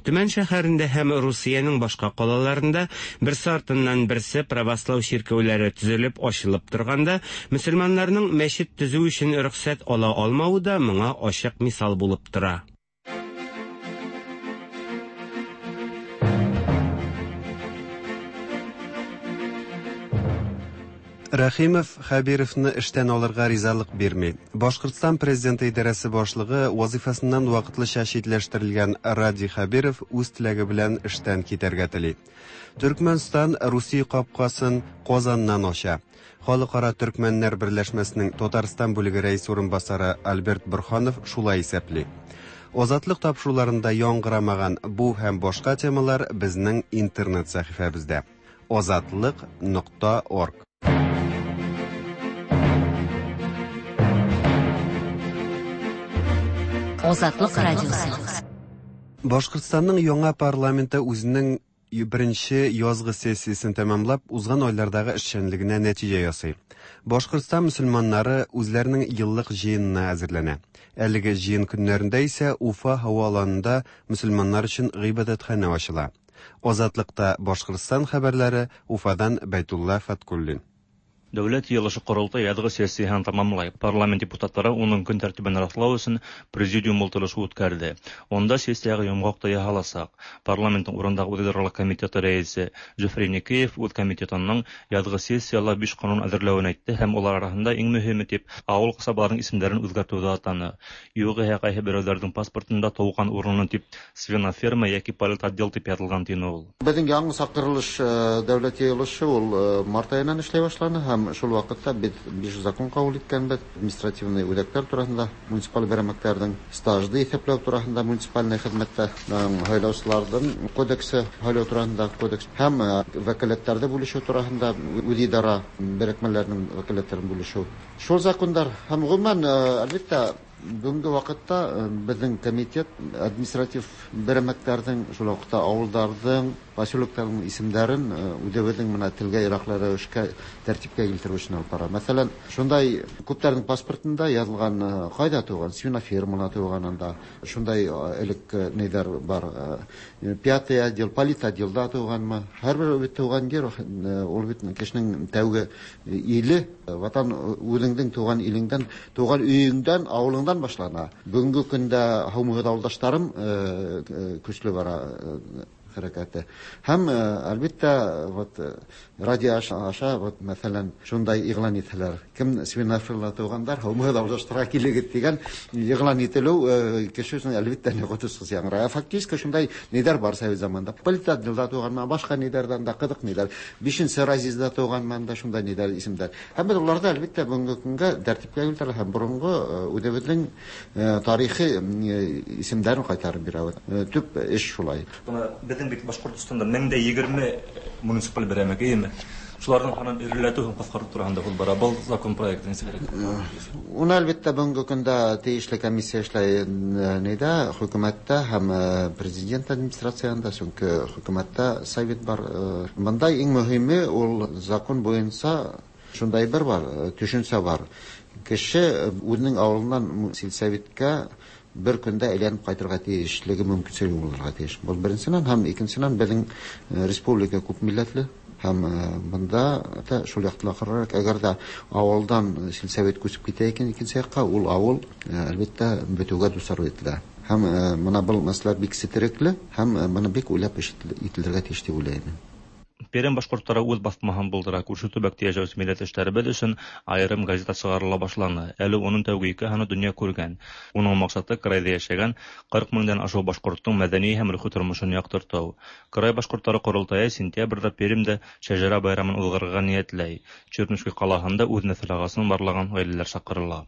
Төмән шәһәрендә һәм Русиянең башка калаларында берсе артыннан берсе православ чиркәүләре төзелеп ачылып торганда, мөселманнарның мәчет төзү өчен рөхсәт ала алмавы да моңа ачык мисал булып тора. Рәхимов Хәбировны эштән алырга ризалык бирми. Башкортстан президенты идарәсе башлыгы вазифасыннан вакытлыча читләштерелгән Радий Хәбиров үз теләге белән эштән китәргә тели. Төркмәнстан Русия капкасын Казаннан ача. Халыкара төркмәннәр берләшмәсенең Татарстан бүлеге рәис урынбасары Альберт Борханов шулай исәпли. Азатлык тапшыруларында яңгырамаган бу һәм башка темалар безнең интернет сәхифәбездә. Азатлык.орг. Азатлык радиосы. Башкортстанның яңа парламенты үзенең беренче язгы сессиясен тәмамлап, узган айлардагы эшчәнлегенә нәтиҗә ясый. Башкортстан мөселманнары үзләренең еллык җыенына әзерләнә. Әлеге җыен көннәрендә исә Уфа һава аланында мөселманнар өчен гыйбадәтханә ачыла. Азатлыкта Башкортстан хәбәрләре Уфадан Бәйтулла Фаткуллин. Дәүләт җыелышы-Корылтай язгы сессияһен тәмамлай. Парламент депутатлары уның көн тәртибен раслау өчен президиум ултырышы үткәрде. Онда сессиягә йомгак та яһалачак. Парламентның урындагы үзидарәлек комитеты рәисе Зөфәр Еникеев үз комитетының язгы сессиялә биш канун әзерләвен әйтте һәм алар арасында иң мөһиме дип авыл касабаларының исемнәрен үзгәртүне атаны. Югыйһә кайсы берәүләрнең паспортында туган урыны дип свиноферма яки политотдел дип язылган тине ул. Безнең яңа чакырылыш дәүләт җыелышы ул март аеннан эшләй башланы һәм шул вакытта без биш закон кабул иткәнбез. Административный үзәкләр турасында, муниципаль берәмлекләрнең стажды исәпләү турасында муниципальный хезмәттә һайлаучыларның кодексы, һайлау турасында кодекс һәм вәкаләтләрне бүлешү турасында үзидарә берекмәләренең вәкаләтләрен бүлешү. Шул законнар һәм гомумән, әлбәттә, бүгенге вакытта безнең комитет административ берәмлекләрнең, шул вакытта авылларның, поселокларның исемнәрен үзебезнең менә телгә яраклы рәвешкә тәртипкә китерү өчен алып бара. Мәсәлән, шундай күпләрнең паспортында язылган кайда туган, свинофермада туган анда, шундай элек ниләр бар, пятый отдел, политотделда туганмы. Һәрбер бит туган җир, ул бит кешенең тәүге иле, ватан үзеңнең туган илеңдән, туган өеңдән, авылыңдан башлана. Бүгенге көндә һаумыгыз авылдашларым көчле бара хәрәкәте. Һәм, әлбәттә, вот радио аша, вот, мәсәлән, шундай игълан итәләр. Кем свинофермада тугандар, һаумыгыз авылдашларга килегез дигән игълан ителү кеше өчен әлбәттә коточкыч яңгырый. Ә фактически шундай ниләр бар совет заманында. Политотделда туганман, башка ниләрдән дә кызык ниләр. Бишенче разъездда туганман да шундай ниләр исемдәр. Һәм без уларда әлбәттә бүгенге көнгә тәртипкә китерә һәм борынгы үзебезнең тарихи исемнәрен кайтарып бирәбез. Төп эш шулай. Бына беҙҙең бит Башҡортостанда 1020 муниципаль берәмлек, эйеме? Шуларның һанын иреләтү һәм ҡыҫҡартыу тураһында һүҙ бара. Был закон проекты нисек? Уны әлбәттә бүгенге көндә тейешле комиссия эшләй нидә, хөкүмәттә һәм президент администрацияһында, сөнки хөкүмәттә совет бар. Монда иң мөһиме ул закон буенча шундай бер бар, төшенчә бар. Кеше үзенең авылыннан сельсоветка бер көндә әйләнеп кайтырга тиешлеге мөмкинчелеге булырга тиеш. Бу беренсеннән һәм икенсеннән безнең республика күп милләтле һәм монда да шул яктан карарак, әгәр дә авылдан сельсовет күчеп китә икән икенче якка, ул авыл әлбәттә бетүгә дучар ителә. Һәм менә был мәсьәлә бик сетерекле һәм моны бик уйлап эш ителергә тиеш дип уйлыйм. Пермь башҡорттары үҙ баҫмаһын булдыра. Күрше төбәктә йәшәүсе милләттәштәребеҙ өсөн айырым газета сығарыла башланы. Әле уның тәүге ике һаны донъя күргән. Уның маҡсаты крайҙа йәшәгән 40 меңдән ашыу башҡорттоң мәҙәни һәм рухи тормошон яҡтыртыу. Край башҡорттары ҡоролтайы сентябрҙә Пермдә шәжәрә байрамын уҙғарырға ниәтләй. Чернушка ҡалаһында үҙ нәҫел ағасын барлаған ғаиләләр саҡырыла.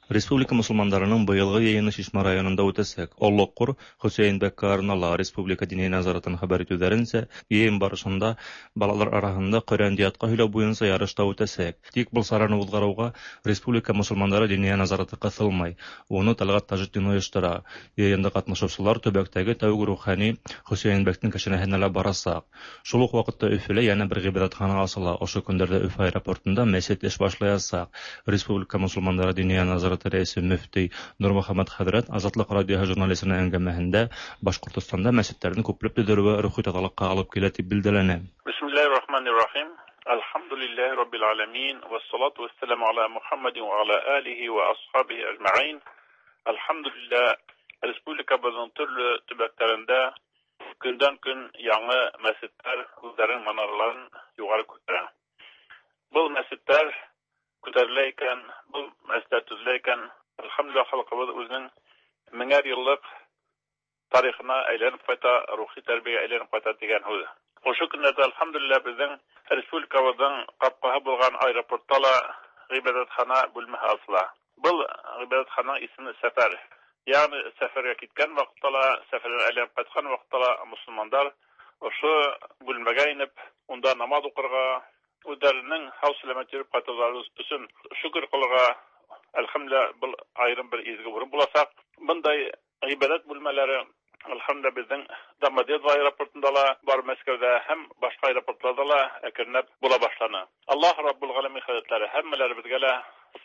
Республика мосолмандарының быйылғы йыйыны Шишмә районында үтәсәк. Оллоҡҡор Хөсәйен бәк Карнала Республика Диния назаратын хәбәр итеүҙәренсә, йыйын барышында балалар араһында Ҡөрьәнде ятҡа һөйләү буйынса ярыш та үтәсәк. Тик был сараны уҙғарыуға Республика мосолмандары Диния назараты ҡыҫылмай. Уны Тәлғәт Тажетдин ойоштора. Йыйында ҡатнашыусылар төбәктәге тәүге рухани Хөсәйен бәктең кәшәнәһенә лә барасаҡ. Шул уҡ ваҡытта Өфөлә йәнә бер ғибәҙәтхана асыла. Ошо көндәрҙә Өфө аэропортында мәсет эш башлаясаҡ. Республика мосолмандары Диния назараты рәисе мөфти Нурмөхәммәт хәҙрәт Азатлыҡ радиоһы журналисының әңгәмәһендә Башҡортостанда мәсеттәрҙең күпләп төҙөлөүе рухи таҙалыҡҡа алып килә тип билдәләне. Бисмиллаһир-рахманир-рахим. Әлхәмдүлиллаһи раббил аламин вассалату вассаламу аля Мухаммадин ва аля алихи ва асхабихи ажмаин. Әлхәмдүлиллаһ, республикабыҙҙың төрлө төбәктәрендә көндән көн яңы мәсеттәр үҙҙәренең манараларын юғары күтәрә. Был мәсеттәр күтәрелә икән, был мәсеттәр төҙөлә икән, әлхәмдүлилләһ, халҡыбыҙ үҙенең меңәр йыллыҡ тарихына әйләнеп ҡайта, рухи тәрбиәгә әйләнеп ҡайта тигән һүҙ. Ошо көндәрҙә әлхәмдүлилләһ беҙҙең республикабыҙҙың ҡапҡаһы булған аэропортта ла ғибәҙәтхана бүлмәһе асыла. Был ғибәҙәтхананың исеме Сәфәр. Ягъни сәфәргә киткән ваҡытта ла, сәфәрҙән әйләнеп ҡайтҡан ваҡытта ла мосолмандар ошо бүлмәгә инеп, унда намаҙ уҡырға, үҙҙәренең һау-сәләмәт йөрөп ҡайтыуҙары өсөн шөкөр ҡылырға, әлхәмдүлилләһ, был айырым бер изге урын буласаҡ. Бындай ғибәҙәт бүлмәләре әлхәмдүлилләһ беҙҙең Домодедово аэропортында ла бар, Мәскәүҙә һәм башҡа аэропортларҙа ла әкренләп була башланы. Аллаһ Раббул Ғаләмин хәҙрәтләре һәммәләребеҙгә лә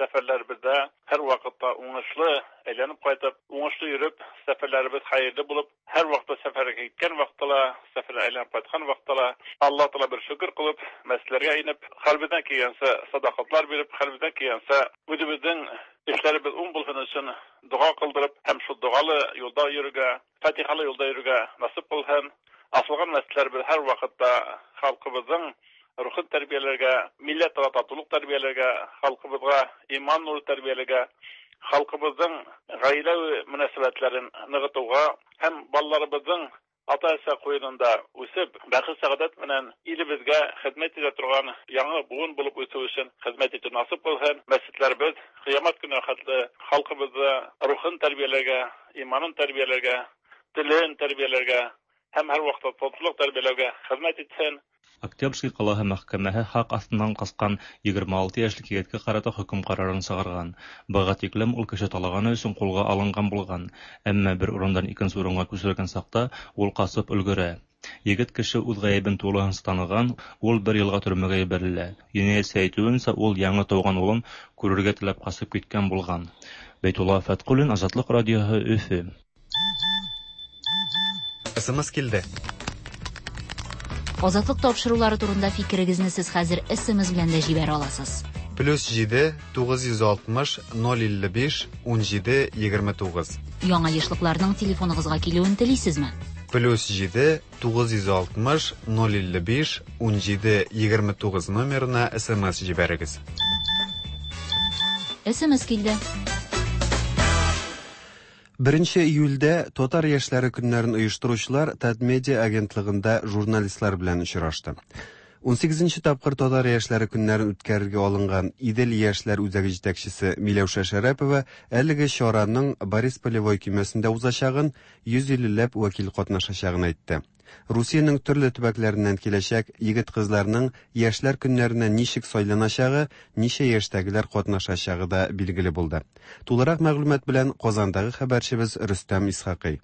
сәфәрләребездә һәрвакытта уңышлы әйләнеп кайтып, уңышлы йөреп, сәфәрләребез хәерле булып, һәрвакытта сәфәргә киткән вакытта ла, сәфәрдән әйләнеп кайткан вакытта ла, Алла Тәгалә бер шөкер кылып, мәчетләргә инеп, хәлебездән килгәнчә садакатлар биреп, хәлебездән килгәнчә үзебезнең эшләребез уң булсын өчен дога кылдырып һәм шул догалы юлда йөрергә, фатихалы юлда йөрергә насыйп кылсын. Асылган мәчетләребез һәрвакытта халкыбызның рухын тәрбияләргә, милләтара татулык тәрбияләргә, халкыбызга иман нуры тәрбияләргә, халкыбызның гаилә мөнәсәбәтләрен ныгытуга һәм балаларыбызның ата-әсә куенында үсеп, бәхет-сәгадәт белән илебезгә хезмәт итә торган яңа буын булып үсү өчен хезмәт итү насыйп кылсын. Мәчетләребез кыямәт көненә хәтле халкыбызны рухын тәрбияләргә, иманын тәрбияләргә, телен тәрбияләргә һәм һәрвакытта татулык тәрбияләүгә хезмәт итсен. Октябрьский калаһы мәхкәмәһе хак астыннан каскан 26 яшьлек егеткә карата хөкем карарын чыгарган. Быга тиклем ул кеше талаганы өчен кулга алынган булган, әмма бер урындан икенче урынга күчерелгән чакта ул качып өлгерә. Егет кеше үз гаебен тулысынча таныган, ул бер елга төрмәгә җибәрелә. Җинаятьче әйтүенчә, ул яңа туган улын күрергә теләп качып киткән булган. Бәйтулла Фәткуллин, Азатлык радиоһы, Өфе. СМС килде. Азатлык тапшырулары турында фикерегезне сез хәзер СМС белән дә җибәрә аласыз. Плюс 7 960 055 17 29. Яңа ешлыкларның телефоныгызга килүен телисезме? Плюс 7 960 055 17 29 номерына СМС җибәрегез. СМС килде. 1 июльдә Татар яшьләре көннәрен оештыручылар Татмедиа агентлыгында журналистлар белән очрашты. 18 тапкыр Татар яшьләре көннәрен үткәрергә алынган Идел яшьләр үзәге җитәкчесе Миләүшә Шәрәпова әлеге чараның Борис Полевой көймәсендә узачагын, 150 ләп вәкил катнашачагын әйтте. Русиянең төрле төбәкләреннән киләчәк егет-кызларның яшьләр көннәренә ничек сайланачагы, ничә яшьтәгеләр катнашачагы да билгеле булды. Тулырак мәгълүмат белән Казандагы хәбәрчебез Рөстәм Исхакый.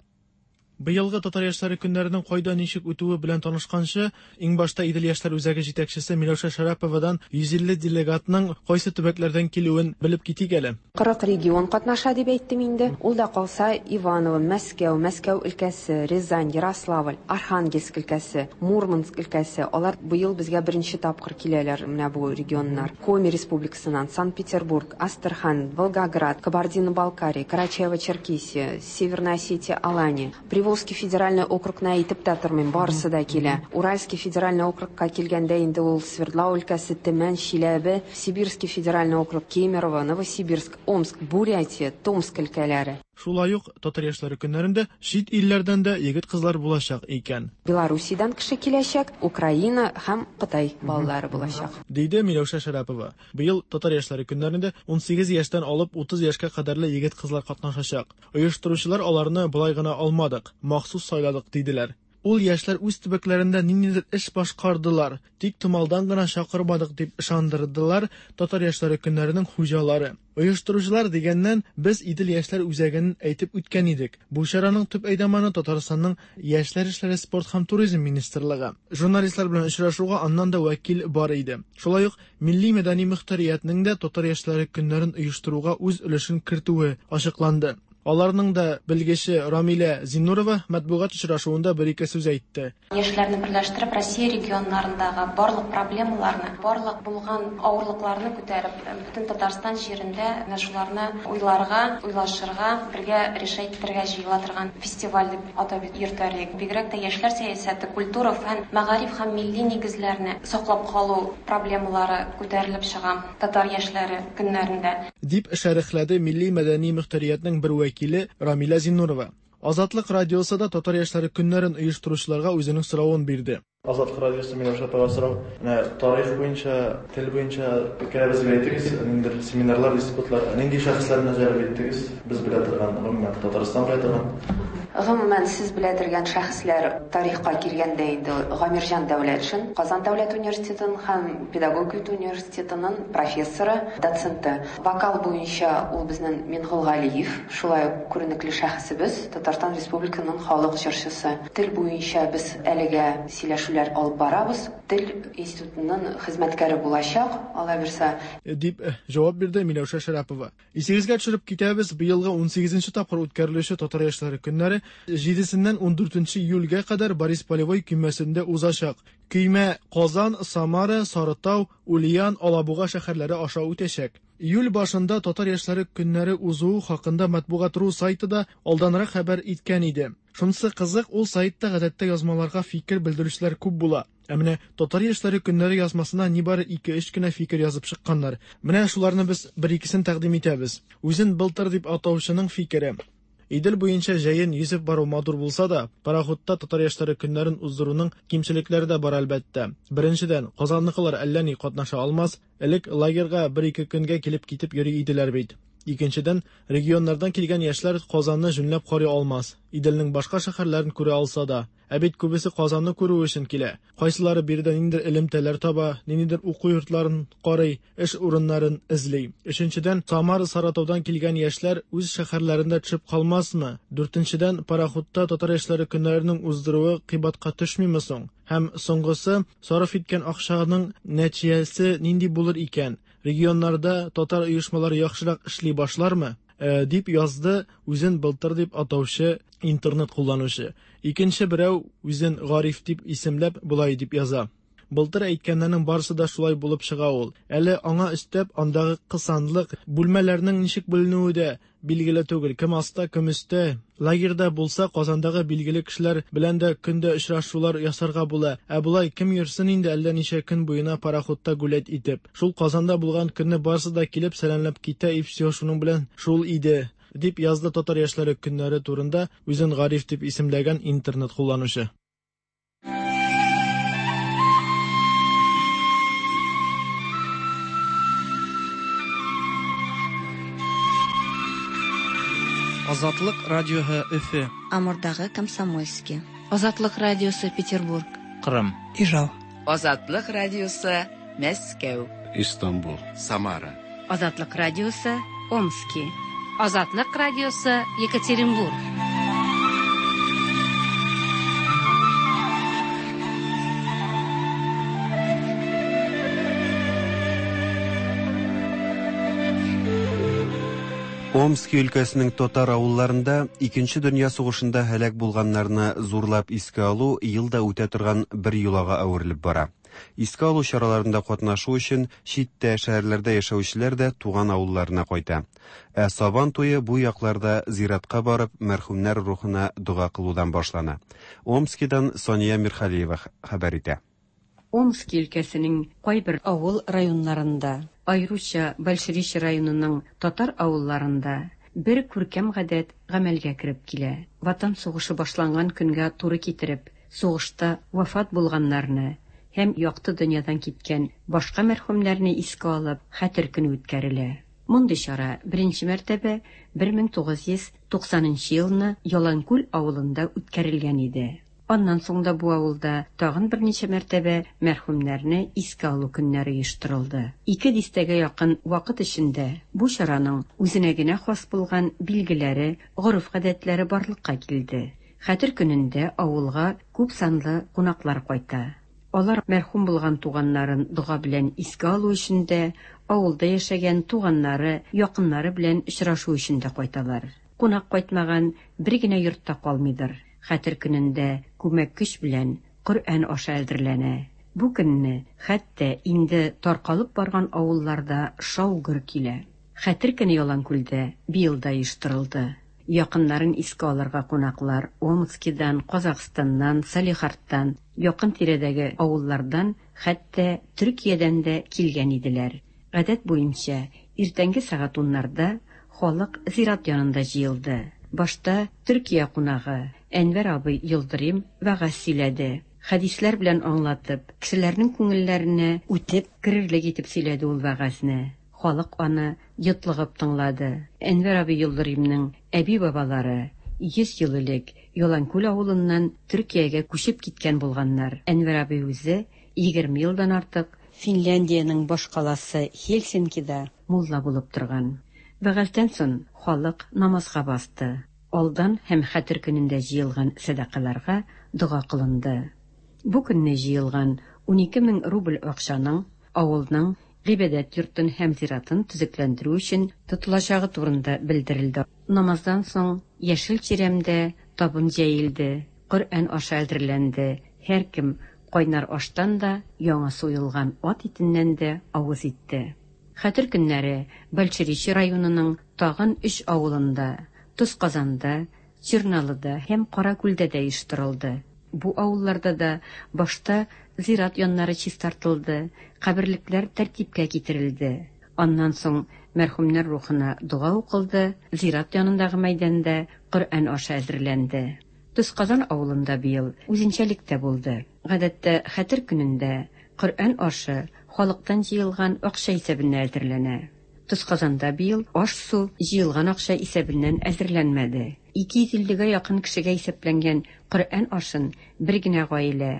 Быелгы Татар яшьләре көннәренең кайда ничек үтүе белән танышканчы, иң башта Идел яшьләр үзәге җитәкчесе Миләүшә Шәраповадан 150 делегатның кайсы төбәкләрдән килүен белеп китик әле. 40 регион катнаша дип әйттем инде. Ул да калса Иваново, Мәскәү, Мәскәү өлкәсе, Рязань, Ярославль, Архангельск өлкәсе, Мурманск өлкәсе. Алар быел безгә беренче тапкыр киләләр менә бу регионнар. Коми республикасыннан, Санкт-Петербург, Астрахань, Волгоград, Кабардино-Балкария, Карачаево-Черкесия, Северная Осетия, Алания. Приволжский федеральный округны әйтеп тә тормыйм, барысы да килә. Уральский федеральный округка килгәндә инде ул Свердлау өлкәсе, Төмән, Чиләбе, Сибирский федеральный округ, Кемерово, Новосибирск, Омск, Бурятия, Томск өлкәләре. Шулай ук Татар яшьләре көннәрендә чит илләрдән дә егет-кызлар булачак икән. Белоруссиядән кеше киләчәк, Украина һәм Кытай балалары булачак. Диде Миләүшә Шәрәпова. Быел Татар яшьләре көннәрендә 18 яшьтән алып 30 яшькә кадәрле егет-кызлар катнашачак. Оештыручылар аларны болай гына алмадык, махсус сайладык, диделәр. Ул яшьләр үз төбәкләрендә ниндидер эш башкардылар, тик томалдан гына чакырмадык дип ышандырдылар Татар яшьләре көннәренең хуҗалары. Оештыручылар дигәннән, без Идел яшьләр үзәген әйтеп үткән идек. Бу чараның төп әйдаманы Татарстанның Яшьләр эшләре, спорт һәм туризм министрлыгы. Журналистлар белән очрашуга аннан да вәкил бар иде. Шулай ук Милли мәдәни мөхтәриятнең дә Татар яшьләре көннәрен оештыруга үз өлешен кертүе ачыкланды. Аларның да белгече Рамилә Зиннурова матбугат очрашуында бер-ике сүз әйтте. Яшьләрне берләштереп, Россия регионнарындагы барлык проблемаларны, барлык булган авырлыкларны күтәреп, бөтен Татарстан җирендә менә шуларны уйларга, уйлашырга, бергә решать итәргә җыела торган фестиваль дип атап йөртәр идек. Бигрәк тә яшьләр сәясәте, культура, фән, мәгариф һәм милли нигезләрне саклап калу проблемалары күтәрелеп чыга татар яшьләре көннәрендә. Дип шәрехләде милли-мәдәни мөхтәриятнең бер вәкиле Рамилә Зиннурова. Азатлык радиосы да Татар яшьләре көннәрен оештыручыларга үзенең соравын бирде. Азатлык радиосы Миләүшә апага сорау. Менә тарих буенча, тел буенча фикерегезне әйтегез, ниндидер семинарлар, диспутлар, нинди шәхесләрне җәлеп иттегез? Без белә торган, гомумән, Татарстан белә торган. Гомумән, сез белә торган шәхесләр тарихка килгәндә инде Гамирҗан Дәүләтшин, Казан дәүләт университетын һәм педагогика университетының профессоры, доценты. Вокал буенча ул безнең Мингол Галиев, шулай ук күренекле шәхесебез, Татарстан Республиканың халык җырчысы. Тел буенча без әлегә сөйләшүләр Сөйләшүләр алып барабыз. Тел институтының хезмәткәре булачак, Алла бирса. Дип җавап бирде Миләүшә Шәрәпова. Исегезгә төшереп китәбез, быелгы унсигезенче тапкыр үткәрелүче Татар яшьләре көннәре җидесеннән ундүртенче июльгә кадәр Борис Полевой көймәсендә узачак. Көймә Казан, Самара, Сарытау, Ульян, Алабуга шәһәрләре аша үтәчәк. Июль башында Татар яшьләре көннәре узуы хакында Матбугат. Ру сайты да алданрак хәбәр иткән иде. Шунысы кызык, ул сайтта гадәттә язмаларга фикер белдерүчеләр күп була. Ә менә Татар яшьләре көннәре язмасына нибары ике-өч кенә фикер язып чыкканнар. Менә шуларны без бер-икесен тәкъдим итәбез. Үзен Былтыр дип атаучының фикере. Идел буенча җәен йөзеп бару матур булса да, пароходта Татар яшьләре көннәрен уздыруның кимчелекләре дә бар, әлбәттә. Беренчедән, Казанныкылар әллә ни катнаша алмас, элек лагерьга бер-ике көнгә килеп-китеп йөри иделәр бит. Икенчедән, регионнардан килгән яшьләр Казанны җүнләп карый алмас, Иделнең башка шәһәрләрен күрә алса да. Ә бит күбесе Казанны күрү өчен килә. Кайсылары биредә ниндидер элемтәләр таба, ниндидер уку йортларын карый, эш урыннарын эзли. Өченчедән, Самара, Саратаудан килгән яшьләр үз шәһәрләрендә төшеп калмасмы? Дүртенчедән, пароходта татар яшьләре көннәренең уздыруы кыйбатка төшмиме соң? Һәм соңгысы, сарыф иткән акчаның нәтиҗәсе нинди булыр икән? Регионнарда татар оешмалары яхшырак эшли башлармы? Дип язды үзен Былтыр дип атаучы интернет кулланучы. Икенче берәү үзен Гариф дип исемләп болай дип яза. Былтыр әйткәннәрнең барысы да шулай булып чыга ул. Әле аңа өстәп андагы кысанлык, бүлмәләрнең ничек бүленүе дә билгеле түгел, кем аста, кем өстә. Лагерьда булса, Казандагы билгеле кешеләр белән дә көн дә очрашулар ясарга була. Ә болай кем йөрсен инде әллә ничә көн буена пароходта гулять итеп. Шул Казанда булган көнне барысы да килеп сәламләп китә и всё шуның белән шул иде, дип язды Татар яшьләре көннәре турында үзен Гариф дип исемләгән интернет кулланучы. Азатлык радиоһы Өфе. Амурдагы Комсомольски. Азатлык радиосы Петербург. Кырым. Ижау. Азатлык радиосы Мәскәү. Истанбул. Самара. Азатлык радиосы Омски. Азатлык радиосы Екатеринбург. Омски өлкәсенең татар авылларында Икенче дөнья сугышында һәлак булганнарны зурлап искә алу ел да үтә торган бер йолага әверелеп бара. Искә алу чараларында катнашу өчен читтә, шәһәрләрдә яшәүчеләр дә туган авылларына кайта. Ә Сабан туе бу якларда зиратка барып, мәрхүмнәр рухына дога кылудан башлана. Омскидан Сания Мирхалиева хәбәр итә. Омски өлкәсенең кайбер авыл районнарында, аеруча Большеречье районының татар авылларында бер күркәм гадәт гамәлгә кереп килә. Ватан сугышы башланган көнгә туры китереп, сугышта вафат булганнарны һәм якты дөньядан киткән башка мәрхүмнәрне искә алып, Хәтер көне үткәрелә. Мондый чара беренче мәртәбә 1990 нчы елны Яланкүл авылында үткәрелгән иде. Аннан соң да бу авылда тагын берничә мәртәбә мәрхүмнәрне искә алу көннәре оештырылды. Ике дистәгә якын вакыт эчендә бу чараның үзенә генә хас булган билгеләре, гореф-гадәтләре барлыкка килде. Хәтер көнендә авылга күп санлы кунаклар кайта. Алар мәрхүм булган туганнарын дога белән искә алу өчен дә, авылда яшәгән туганнары, якыннары белән очрашу өчен дә кайталар. Кунак кайтмаган бер генә йорт та калмыйдыр. Хәтер көнендә күмәк көч белән Коръән ашы әзерләнә. Бу көнне хәтта инде таркалып барган авыллар да шау-гөр килә. Хәтер көне Яланкүлдә быел да оештырылды. Якыннарын искә алырга кунаклар Омскидан, Казахстаннан, Салехардтан, якын-тирәдәге авыллардан, хәтта Төркиядән дә килгән иделәр. Гадәт буенча, иртәнге сәгать уннарда халык зират янында җыелды. Башта Төркия кунагы Әнвәр абый Йолдырим вәгазь сөйләде. Хәдисләр белән аңлатып, кешеләрнең күңелләренә үтеп керерлек итеп сөйләде ул вәгазьне. Халык аны йотлыгып тыңлады. Әнвәр абый Йолдыримның әби-бабалары 100 ел элек Яланкүл авылыннан Төркиягә күчеп киткән булганнар. Әнвәр абый үзе 20 елдан артык Финляндиянең башкаласы Хельсинкида мулла булып торган. Вәгазьдән сон халык намазга басты. Алдан һәм Хәтер көнендә җыелган сәдакаларга дога кылынды. Бу көнне җыелган 12 мең рубль акчаның авылның гыйбадәт йортын һәм зиратын төзекләндерү өчен тотылачагы турында белдерелде. Намаздан соң яшел чирәмдә табын җәелде, Коръән ашы әзерләнде, һәркем кайнар аштан да, яңа суелган ат итеннән дә авыз итте. Хәтер көннәре Большеречье районының тагын өч авылында, Тозказанда, Черналыда һәм Каракүлдә дә оештырылды. Бу авылларда да башта зират яннары чистартылды, каберлекләр тәртипкә китерелде. Аннан соң мәрхүмнәр рухына дога укылды, зират янындагы мәйданда Коръән ашы әзерләнде. Тозказан авылында быел үзенчәлек тә булды. Гадәттә, Хәтер көнендә Коръән ашы халыктан җыелган акча исәбенә әзерләнә. Тозказанда быел аш-су җыелган акча исәбеннән әзерләнмәде. 250 гә якын кешегә исәпләнгән Коръән ашын бер генә гаилә,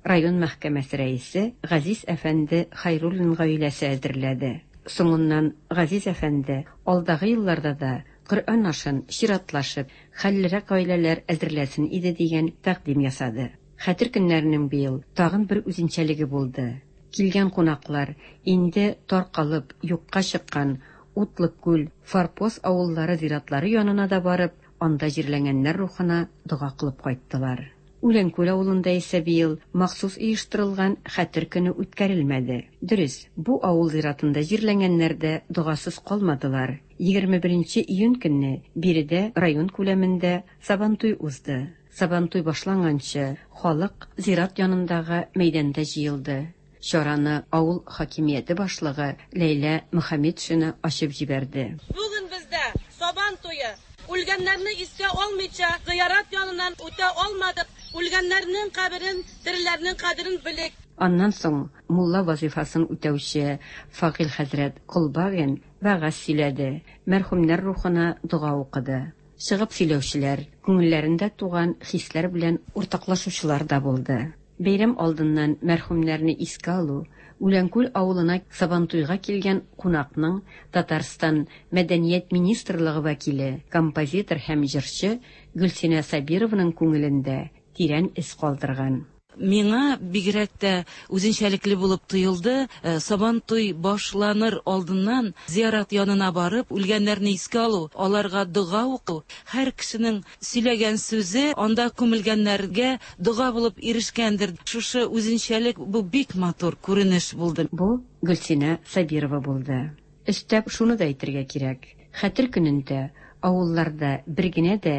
район мәхкәмәсе рәисе Газиз әфәнде Хәйруллин гаиләсе әзерләде. Соңыннан Газиз әфәнде алдагы елларда да Коръән ашын, чиратлашып, хәллерәк гаиләләр әзерләсен иде дигән тәкъдим ясады. Хәтер көннәренең быел тагын бер үзенчәлеге булды. Килгән кунаклар инде таркалып, юкка чыккан Утлыкүл, Форпост авыллары зиратлары янына да барып, анда җирләнгәннәр рухына дога кылып кайттылар. Үләнкүл авылында исә быел махсус оештырылган Хәтер көне үткәрелмәде. Дөрес, бу авыл зиратында җирләнгәннәр дә догасыз калмадылар. 21 нче июнь көнне биредә район күләмендә Сабантуй узды. Сабантуй башланганчы, халык зират янындагы мәйданда җыелды. Чараны авыл хакимияте башлыгы Ләйлә Мөхәммәтшина ачып җибәрде. Бүген бездә Сабан туе. Үлгәннәрне искә алмыйча, зыярат яныннан үтә алмадык. Үлгәннәрнең каберен, тереләрнең кадерен белик. Аннан соң мулла вазыйфасын үтәүче Фагыйль хәзрәт Колбагин вәгазь сөйләде, мәрхүмнәр рухына дога укыды. Чыгып сөйләүчеләр, күңелләрендә туган хисләр белән уртаклашучылар да булды. Бәйрәм алдыннан мәрхүмнәрне искә алу, Үләнкүл авылына Сабантуйга килгән кунакның Татарстан Мәдәният министрлыгы вәкиле, композитор һәм җырчы Гөлсинә Сабированың күңелендә тирән эз калдырган. Миңа бигрәк тә үзенчәлекле булып тоелды, Сабантуй башланыр алдыннан зиярат янына барып, үлгәннәрне искә алу, аларга дога уку, һәр кешенең сөйләгән сүзе анда күмелгәннәргә дога булып ирешкәндер. Шушы үзенчәлек, бу бик матур күренеш булды. Бу Гөлсинә Сабирова булды. Өстәп шуны да әйтергә кирәк, Хәтер көнендә авылларда бер генә дә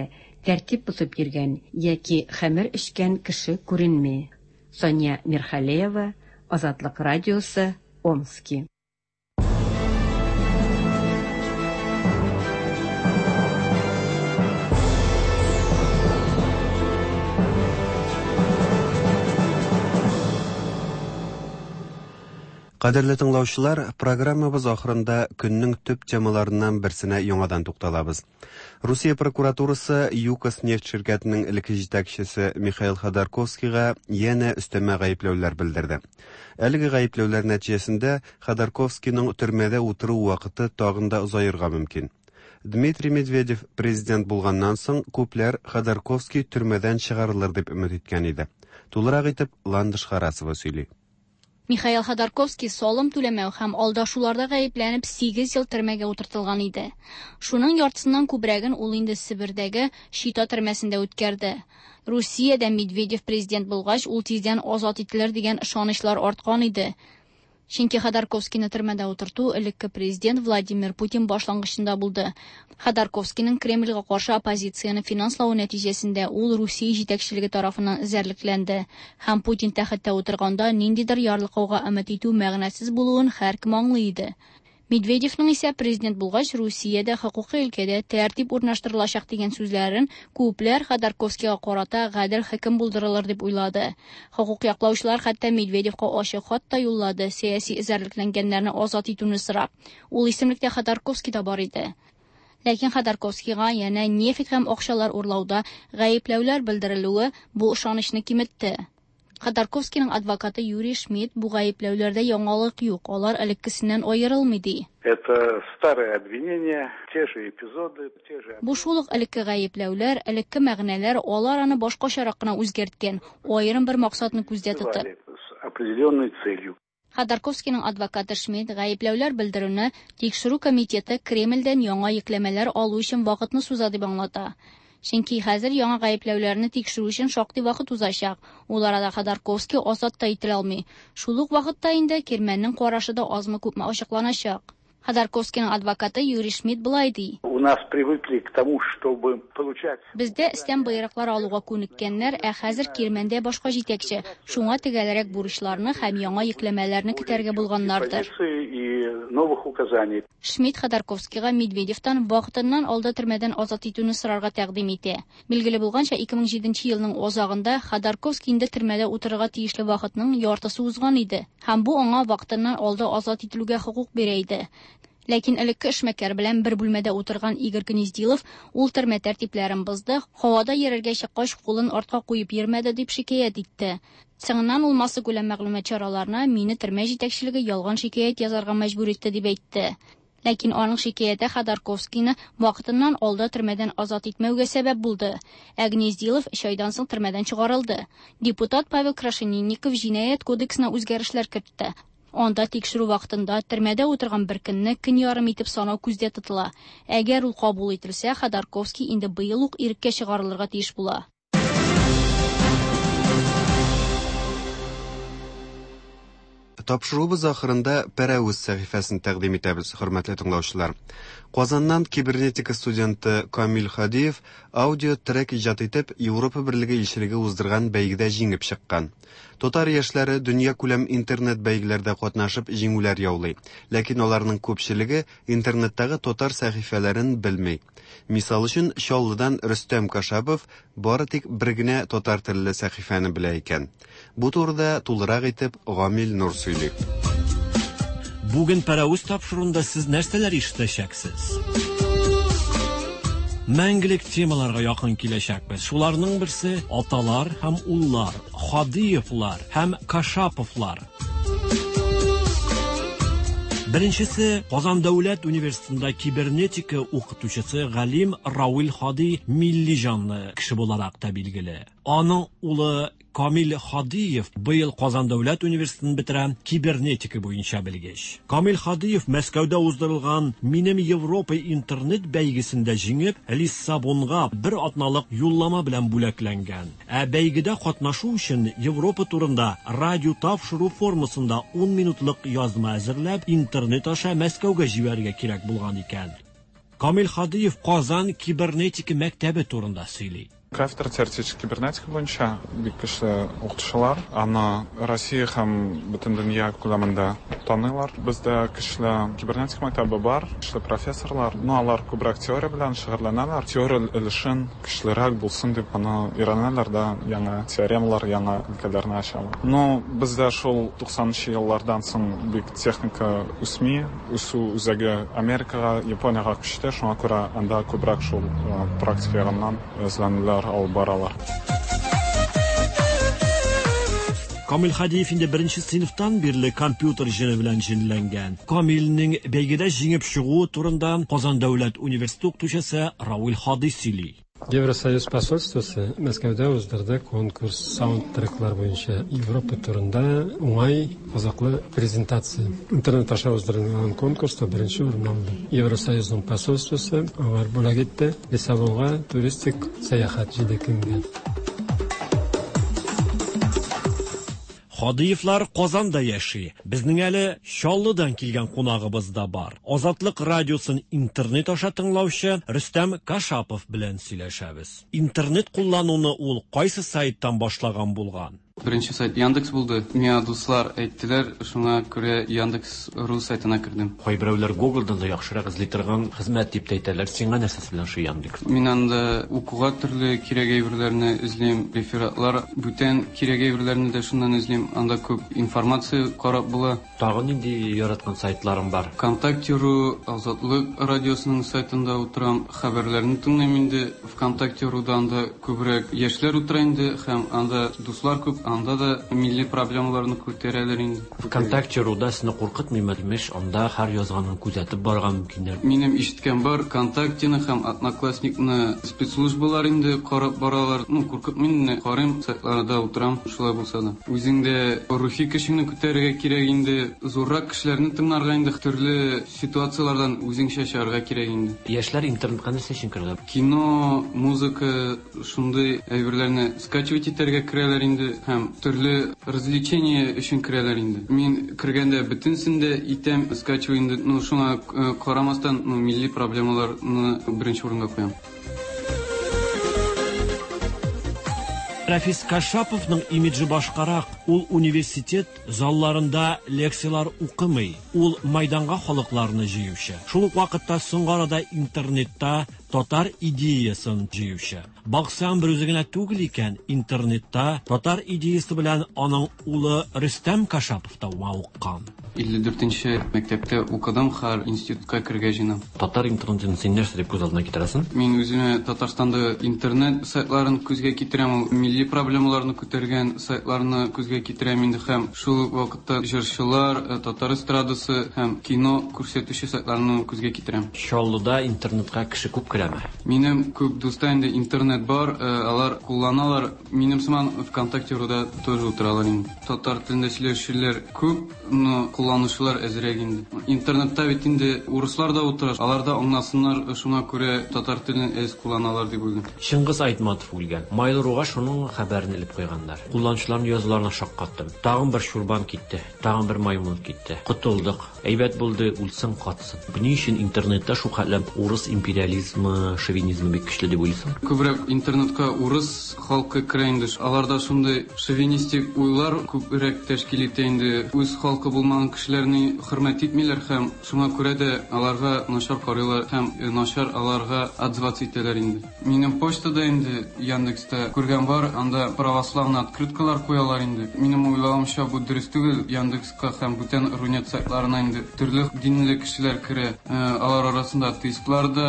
тәртип бозып йөргән яки хәмер эчкән кеше күренми. Сания Мирхалеева, Азатлык радиосы, Омски. Кадерле тыңлаучылар, программабыз ахырында көннең төп темаларыннан берсенә яңадан тукталабыз. Русия прокуратурасы ЮКОС нефть ширкәтенең элекке җитәкчесе Михаил Ходорковскийга янә өстәмә гаепләүләр белдерде. Әлеге гаепләүләр нәтиҗәсендә Ходорковскийның төрмәдә утыру вакыты тагын да озаерга мөмкин. Дмитрий Медведев президент булганнан соң күпләр Ходорковский төрмәдән чыгарылыр дип өмет иткән иде. Тулырак итеп Ландыш Харасова сөйли. Михаил Ходорковский салым түләмәү һәм алдашуларда гаепләнеп сигез ел төрмәгә утыртылган иде. Шуның яртысыннан күбрәген ул инде Себердәге Чита төрмәсендә үткәрде. Русиядә Медведев президент булгач, ул тиздән азат ителер дигән ышанычлар арткан иде. Чөнки Ходорковскийны төрмәдә утырту элекке президент Владимир Путин башлангычында булды. Ходорковскийның Кремльгә каршы оппозицияне финанславы нәтиҗәсендә ул Русия җитәкчелеге тарафыннан эзәрлекләнде. Һәм Путин тәхеттә утырганда ниндидер ярлыкауга өмет итү мәгънәсез булуын һәркем аңлый иде. Медведевның исә президент булгач Русиядә хокукый өлкәдә тәртип урнаштырылачак дигән сүзләрен күпләр Ходорковскийга карата гадел хөкем булдырылыр дип уйлады. Хокук яклаучылар хәтта Медведевка ачык хат та юллады, сәяси эзәрлекләнгәннәрне азат итүне сорап. Ул исемлектә Ходорковский да бар иде. Ләкин Ходорковскийга янә нефть һәм акчалар урлауда гаепләүләр белдерелүе бу ышанычны киметте. Ходорковскийның адвокаты Юрий Шмидт бу гаепләүләрдә яңалык юк, алар элеккесеннән аерылмый ди. Это старые обвинения, те же эпизоды, те же... Бу шул ук элекке гаепләүләр, элекке мәгънәләр, алар аны башкачарак кына үзгәрткән, аерым бер максатны күздә тотып. С определенной целью. Ходорковскийның адвокаты Шмидт гаепләүләр белдерүне Тикшерү комитеты Кремльдән яңа йөкләмәләр алу өчен вакытны суза дип аңлата. Чөнки хәзер яңа гаепләүләрне тикшерү өчен шактый вакыт узачак. Ул арада Ходорковский азат та ителә алмый. Шул ук вакытта инде Кирмәннең карашы да азмы-күпме ачыкланачак. Ходорковскийның адвокаты Юрий Шмидт болай ди. У нас привыкли к тому, чтобы получать... Бездә өстән боерыклар алуга күнеккәннәр, ә хәзер Кирмәндә башка җитәкче. Шуңа төгәлрәк бурычларны һәм яңа йөкләмәләрне көтәргә булганнардыр. И новых указаний. Шмидт Ходорковскийга Медведевтан вакытыннан алда төрмәдән азат итүне сорарга тәкъдим итә. Билгеле булганча, 2007 елның азагында Ходорковский инде төрмәдә утырырга тиешле вакытның яртысы узган иде, һәм бу аңа вакытыннан алда азат ителүгә хокук бирә иде. Ләкин элекке эшмәкәр белән бер бүлмәдә утырган Игорь Гнездилов ул төрмә тәртипләрен бозды, һавада йөрергә чыккач кулын артка куеп йөрмәде дип шикаять итте. Соңыннан ул массакүләм мәгълүмат чараларына мине төрмә җитәкчелеге ялган шикаять язарга мәҗбүр итте дип әйтте. Ләкин аның шикаяте Ходорковскийны вакытыннан алда төрмәдән азат итмәүгә сәбәп булды. Ә Гнездилов өч айдан соң төрмәдән чыгарылды. Депутат Павел Крашенинников җинаять кодексына үзгәрешләр кертте. Анда тикшерү вакытында төрмәдә утырган бер көнне көн ярым итеп санау күздә тотыла. Әгәр ул кабул ителсә, Ходорковский инде быел ук иреккә чыгарылырга тиеш була. Тапшыруыбыз ахырында Пәрәвез сәхифәсен тәкъдим итәбез, хөрмәтле тыңлаучылар. Казаннан кибернетика студенты Камил Хадиев аудио трек иҗат итеп, Европа Берлеге илчелеге уздырган бәйгедә җиңеп чыккан. Татар яшьләре дөньякүләм интернет бәйгеләрдә катнашып җиңүләр яулый. Ләкин аларның күпчелеге интернеттагы татар сәхифәләрен белми. Мисал өчен, Чаллыдан Рөстәм Кашапов бары тик бер генә татар телле сәхифәне белә икән. Бу турыда тулырак итеп Гамил Нур сөйли. Бүген Пәрәвез тапшыруында сез нәрсәләр ишетәчәксез? Мәңгелек темаларга якын киләчәкбез. Шуларның берсе аталар һәм уллар, Хадиевлар һәм Кашаповлар. Беренчесе Казан дәүләт университетында кибернетика укытучысы галим Равил Хади милли җанлы кеше буларак та билгеле. Аның улы Камил Хадиев быел Казан дәүләт университетын бетерә, кибернетика буенча белгеч. Камил Хадиев Мәскәүдә уздырылган Минем Европа интернет бәйгесендә җиңеп, Лиссабонга бер атналык юллама белән бүләкләнгән. Ә бәйгедә катнашу өчен Европа турында радио тапшыру формасында 10 минутлык язма әзерләп, интернет аша Мәскәүгә җибәрергә кирәк булган икән. Камил Хадиев Казан кибернетика мәктәбе турында сөйли. Кафедра теоретической кибернетика буенча бик көчле укытучылар. Аны Россия һәм бөтен дөнья күләмендә таныйлар. Бездә көчле кибернетика мәктәбе бар, көчле профессорлар. Но алар күбрәк теория белән шөгыльләнәләр. Теория өлешен көчлерәк булсын дип аны өйрәнәләр дә, яңа теоремалар, яңа өлкәләрне ачалар. Но бездә шул 90 еллардан соң бик техника үсми, үсү үзәге Америкага, Япониягә күчте, шуңа күрә анда күбрәк шул практика ягыннан эзләнүләр алып баралар. Камил Хадиев инде беренче сыйныфтан бирле компьютер җене белән җенләнгән. Камилнең бәйгедә җиңеп чыгуы турында Казан дәүләт университеты укытучысы Равил Хади сөйли. Евросоюз посольствосы Мәскәүдә уздырды конкурс саундтреклар буенча Европа турында уңай кызыклы презентация. Интернет аша уздырылган конкурста беренче урын алды. Евросоюзның посольствосы алар бүләк итте Лиссабонга туристик сәяхәт 7 көнгә. Хадиевлар Казанда яши. Безнең әле Чаллыдан килгән кунагыбыз да бар. Азатлык радиосын интернет аша тыңлаучы Рөстәм Кашапов белән сөйләшәбез. Интернет куллануны ул кайсы сайттан башлаган булган? Беренче сайт Яндекс булды. Миңа дуслар әйттеләр, шуңа күрә Яндекс.ру сайтына кердем. Кайберәүләр Google'дан да яхшырак эзли торган хезмәт дип тә әйтәләр. Сиңа нәрсәсе белән шул Яндекс? Мин анда укуга төрле кирәк әйберләрне эзлим, рефератлар, бүтән кирәк әйберләрне дә шуннан эзлим. Анда күп информация карап була. Тагын нинди яраткан сайтларың бар? ВКонтакте.ру, Азатлык радиосының сайтында утырам, хәбәрләрне тыңлыйм инде. ВКонтакте.руда анда күбрәк яшьләр утыра инде һәм анда дуслар күп. Анда да милли проблемаларны күтәрәләр инде. ВКонтакте руда сине куркытмыймы, имеш, анда һәр язганын күзәтеп барырга мөмкиннәр. Минем ишеткән бар, ВКонтактены һәм Одноклассникны спецслужбалар инде карап баралар. Ну, куркытмый инде, карыйм, сайтларда утырам, шулай булса да. Үзең дә рухи көчеңне күтәрергә кирәк инде, зуррак кешеләрне тыңларга инде, төрле ситуацияләрдән үзеңчә чыгарга кирәк инде. Яшьләр интернетка нәрсә өчен керәләр? Кино, музыка, шундый әйберләрне скачивать итәргә керәләр инде һәм төрле развлечение өчен керәләр инде. Мин кергәндә бөтенесен дә итәм, скачиваю инде, ну, шуңа карамастан, ну, милли проблемаларны беренче урынга куям. Рәфис Кашаповның имиджы башкарак. Ул университет залларында лекцияләр укымый. Ул майданга халыкларны җыючы. Шул ук вакытта соңгы арада интернетта татар идеясын җыючы. Баксаң, бер үзе генә түгел икән, интернетта татар идеясы белән аның улы Рөстәм Кашапов та мавыккан. 54 нче мәктәптә укыдым, хәзер институтка керергә җыенам. Татар интернетын син нәрсә дип күз алдына китерәсең? Мин үземә Татарстанда интернет сайтларын күзгә китерәм, ул милли проблемаларны күтәргән сайтларны күзгә китерәм инде һәм шул ук вакытта җырчылар, татар эстрадасы һәм кино күрсәтүче сайтларны күзгә китерәм. Чаллыда интернетка кеше күп керәме? Минем күп дуста инде интернет бар, алар кулланалар. Минем сыман ВКонтакте руда тоже утыралар инде. Татар телендә сөйләшүчеләр күп, но кулланучылар әзрәк инде. Интернетта бит инде урыслар да утыра, алар да аңласыннар, шуңа күрә татар телен әз кулланалар дип уйлыйм. Чыңгыз Айтматов үлгән. Mail.ru-га шуның хәбәрен элеп куйганнар. Кулланучыларның язуларына шаккаттым. Тагын бер чурбан китте, тагын бер маймыл китте. Котылдык. Әйбәт булды, үлсен, катсын. Ни өчен интернетта шул хәтле урыс империализмы, шовинизмы бик көчле дип уйлыйсың? Күбрәк интернетка урыс халкы керә инде. Аларда шундый шовинистик уйлар күбрәк тәшкил итә инде. Үз халкы булмаган кешеләрне хөрмәт итмиләр һәм шуңа күрә дә аларга начар карыйлар һәм начар аларга отзываться итәләр инде. Минем почтада инде Яндекста күргән бар, анда православный открыткалар куялар инде. Минем уйлавымча, бу дөрес түгел. Яндекска һәм бүтән Рунет сайтларына инде төрле динле кешеләр керә. Алар арасында атеистлар да,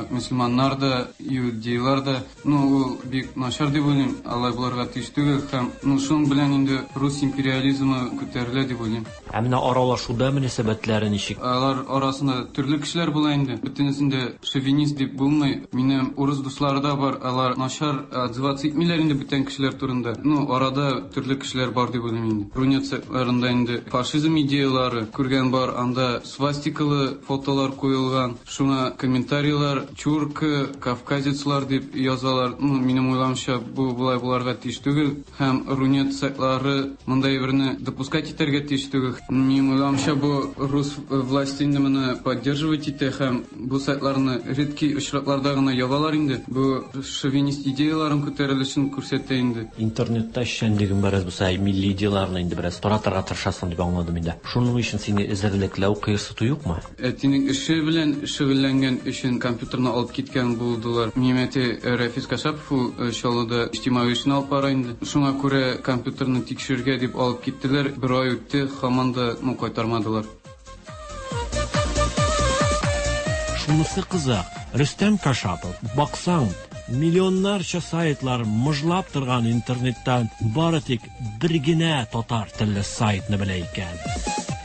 мөселманнар да, иудейлар да. Ну, ул бик начар дип уйлыйм, алай булырга тиеш түгел һәм, ну, шуның белән инде рус империализмы күтәрелә дип уйлыйм. Ә менә аралашуда мөнәсәбәтләре ничек? Алар арасында төрле кешеләр була инде. Бөтенесен дә шовинист дип булмый. Минем урыс дуслары да бар, алар начар отзываться итмиләр инде бүтән кешеләр турында. Ну, арада төрле кешеләр бар дип уйлыйм инде. Рунет сайтларында инде фашизм идеялары күргән бар, анда свастикалы фотолар куелган, шуңа комментарийлар чурка, кавказецлар дип язалар. Ну, минем уйлавымча, бу болай буларга тиеш түгел. Һәм Рунет сайтлары мондай берне допускать итәргә тиеш түгел. Минем уйлавымча, бу рус власти инде моны поддерживать итә һәм бу сайтларны редкий очракларда гына ябалар инде. Бу шовинист идеяларын күтәрелешен күрсәтә инде. Интернетта эшчәнлегең бераз булса, милли идеяларны инде бераз таратырга тырышасың дип аңладым инде. Шуның өчен сине эзәрлекләү, кыерсыту юкмы? Әтинең эше белән шөгыльләнгән өчен компьютерны алып киткән булдылар. Минем әти Рәфис Кашапов, ул Чаллыда иҗтимагый эшне алып бара инде. Шуңа күрә компьютерны тикшерергә дип алып киттеләр. Бер ай үтте, һаман да, ну, кайтармадылар. Шунысы кызык, Рөстәм Кашапов, баксаң, миллионнарча сайтлар мыжлап торган интернеттан бары тик бер генә татар телле сайтны белә икән.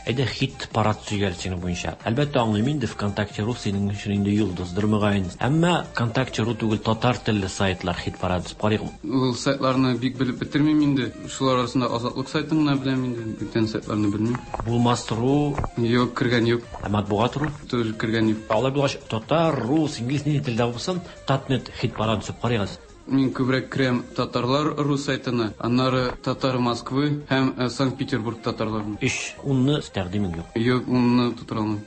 Әйдә хит парад сөйләр синең буенча. Әлбәттә аңлыйм инде, ВКонтакте.ру синең өчен инде йолдыздыр мөгаен. Әмма ВКонтакте.ру түгел, татар телле сайтлар хит парад дип карыйк. Ул сайтларны бик белеп бетермим инде. Шулар арасында Азатлык сайтын гына беләм инде, бүтән сайтларны белмим. Булмас.ру? Юк, кергән юк. Ә Матбугат.ру? Тоже кергән юк. Алай булгач, татар, рус, инглиз нинди телдә булсын, Татнет хит парад төзеп карыйк. Мин күбрәк керәм татарлар ру сайтына, аннары татар Москвы һәм Санкт-Петербург татарларына. Өч унны тәкъдимең юк. Юк, унны тутыра алмыйм.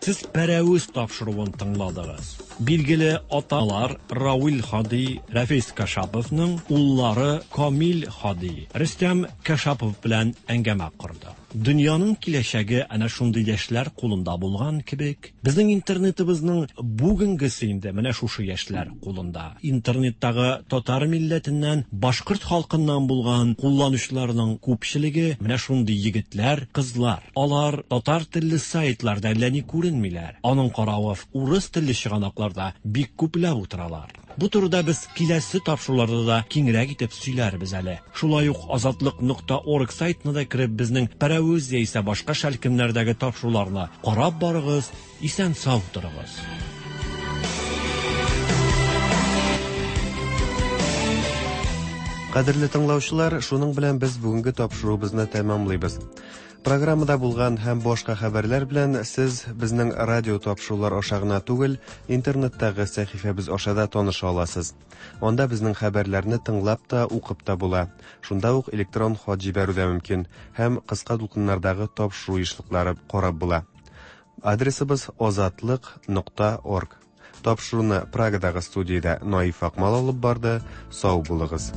Сез Пәрәвез тапшыруын тыңладыгыз. Билгеле аталар Равил Хади, Рәфис Кашаповның уллары Камил Хади, Рөстәм Кашапов белән әңгәмә корды. Дөньяның киләчәге әнә шундый яшьләр кулында булган кебек, безнең интернетыбызның бүгенгесе инде менә шушы яшьләр кулында. Интернеттагы татар милләтеннән, башкорт халкыннан булган кулланучыларның күпчелеге менә шундый егетләр, кызлар. Алар татар телле сайтларда әллә ни күренмиләр. Аның каравы урыс телле чыганакларда бик күпләп утыралар. Бу турыда без киләсе тапшыруларда да киңрәк итеп сөйләрбез әле. Шулай ук азатлык нокта орг сайтына да кереп безнең Пәрәвез яисә башка шәлкемнәрдәге тапшыруларны карап барыгыз, исән-сау торыгыз. Кадерле тыңлаучылар, шуның белән без бүгенге тапшыруыбызны тәмамлыйбыз. Программада булган һәм башка хәбәрләр белән сез безнең радио тапшырулар аша гына түгел, интернеттагы сәхифәбез аша да таныша аласыз. Анда безнең хәбәрләрне тыңлап та, укып та була. Шунда ук электрон хат җибәрү дә мөмкин һәм кыска дулкыннардагы тапшыру ешлыклары карап була. Адресыбыз азатлык нокта орг. Тапшыруны Прагадагы студиядә Наиф Акмал алып барды. Сау булыгыз.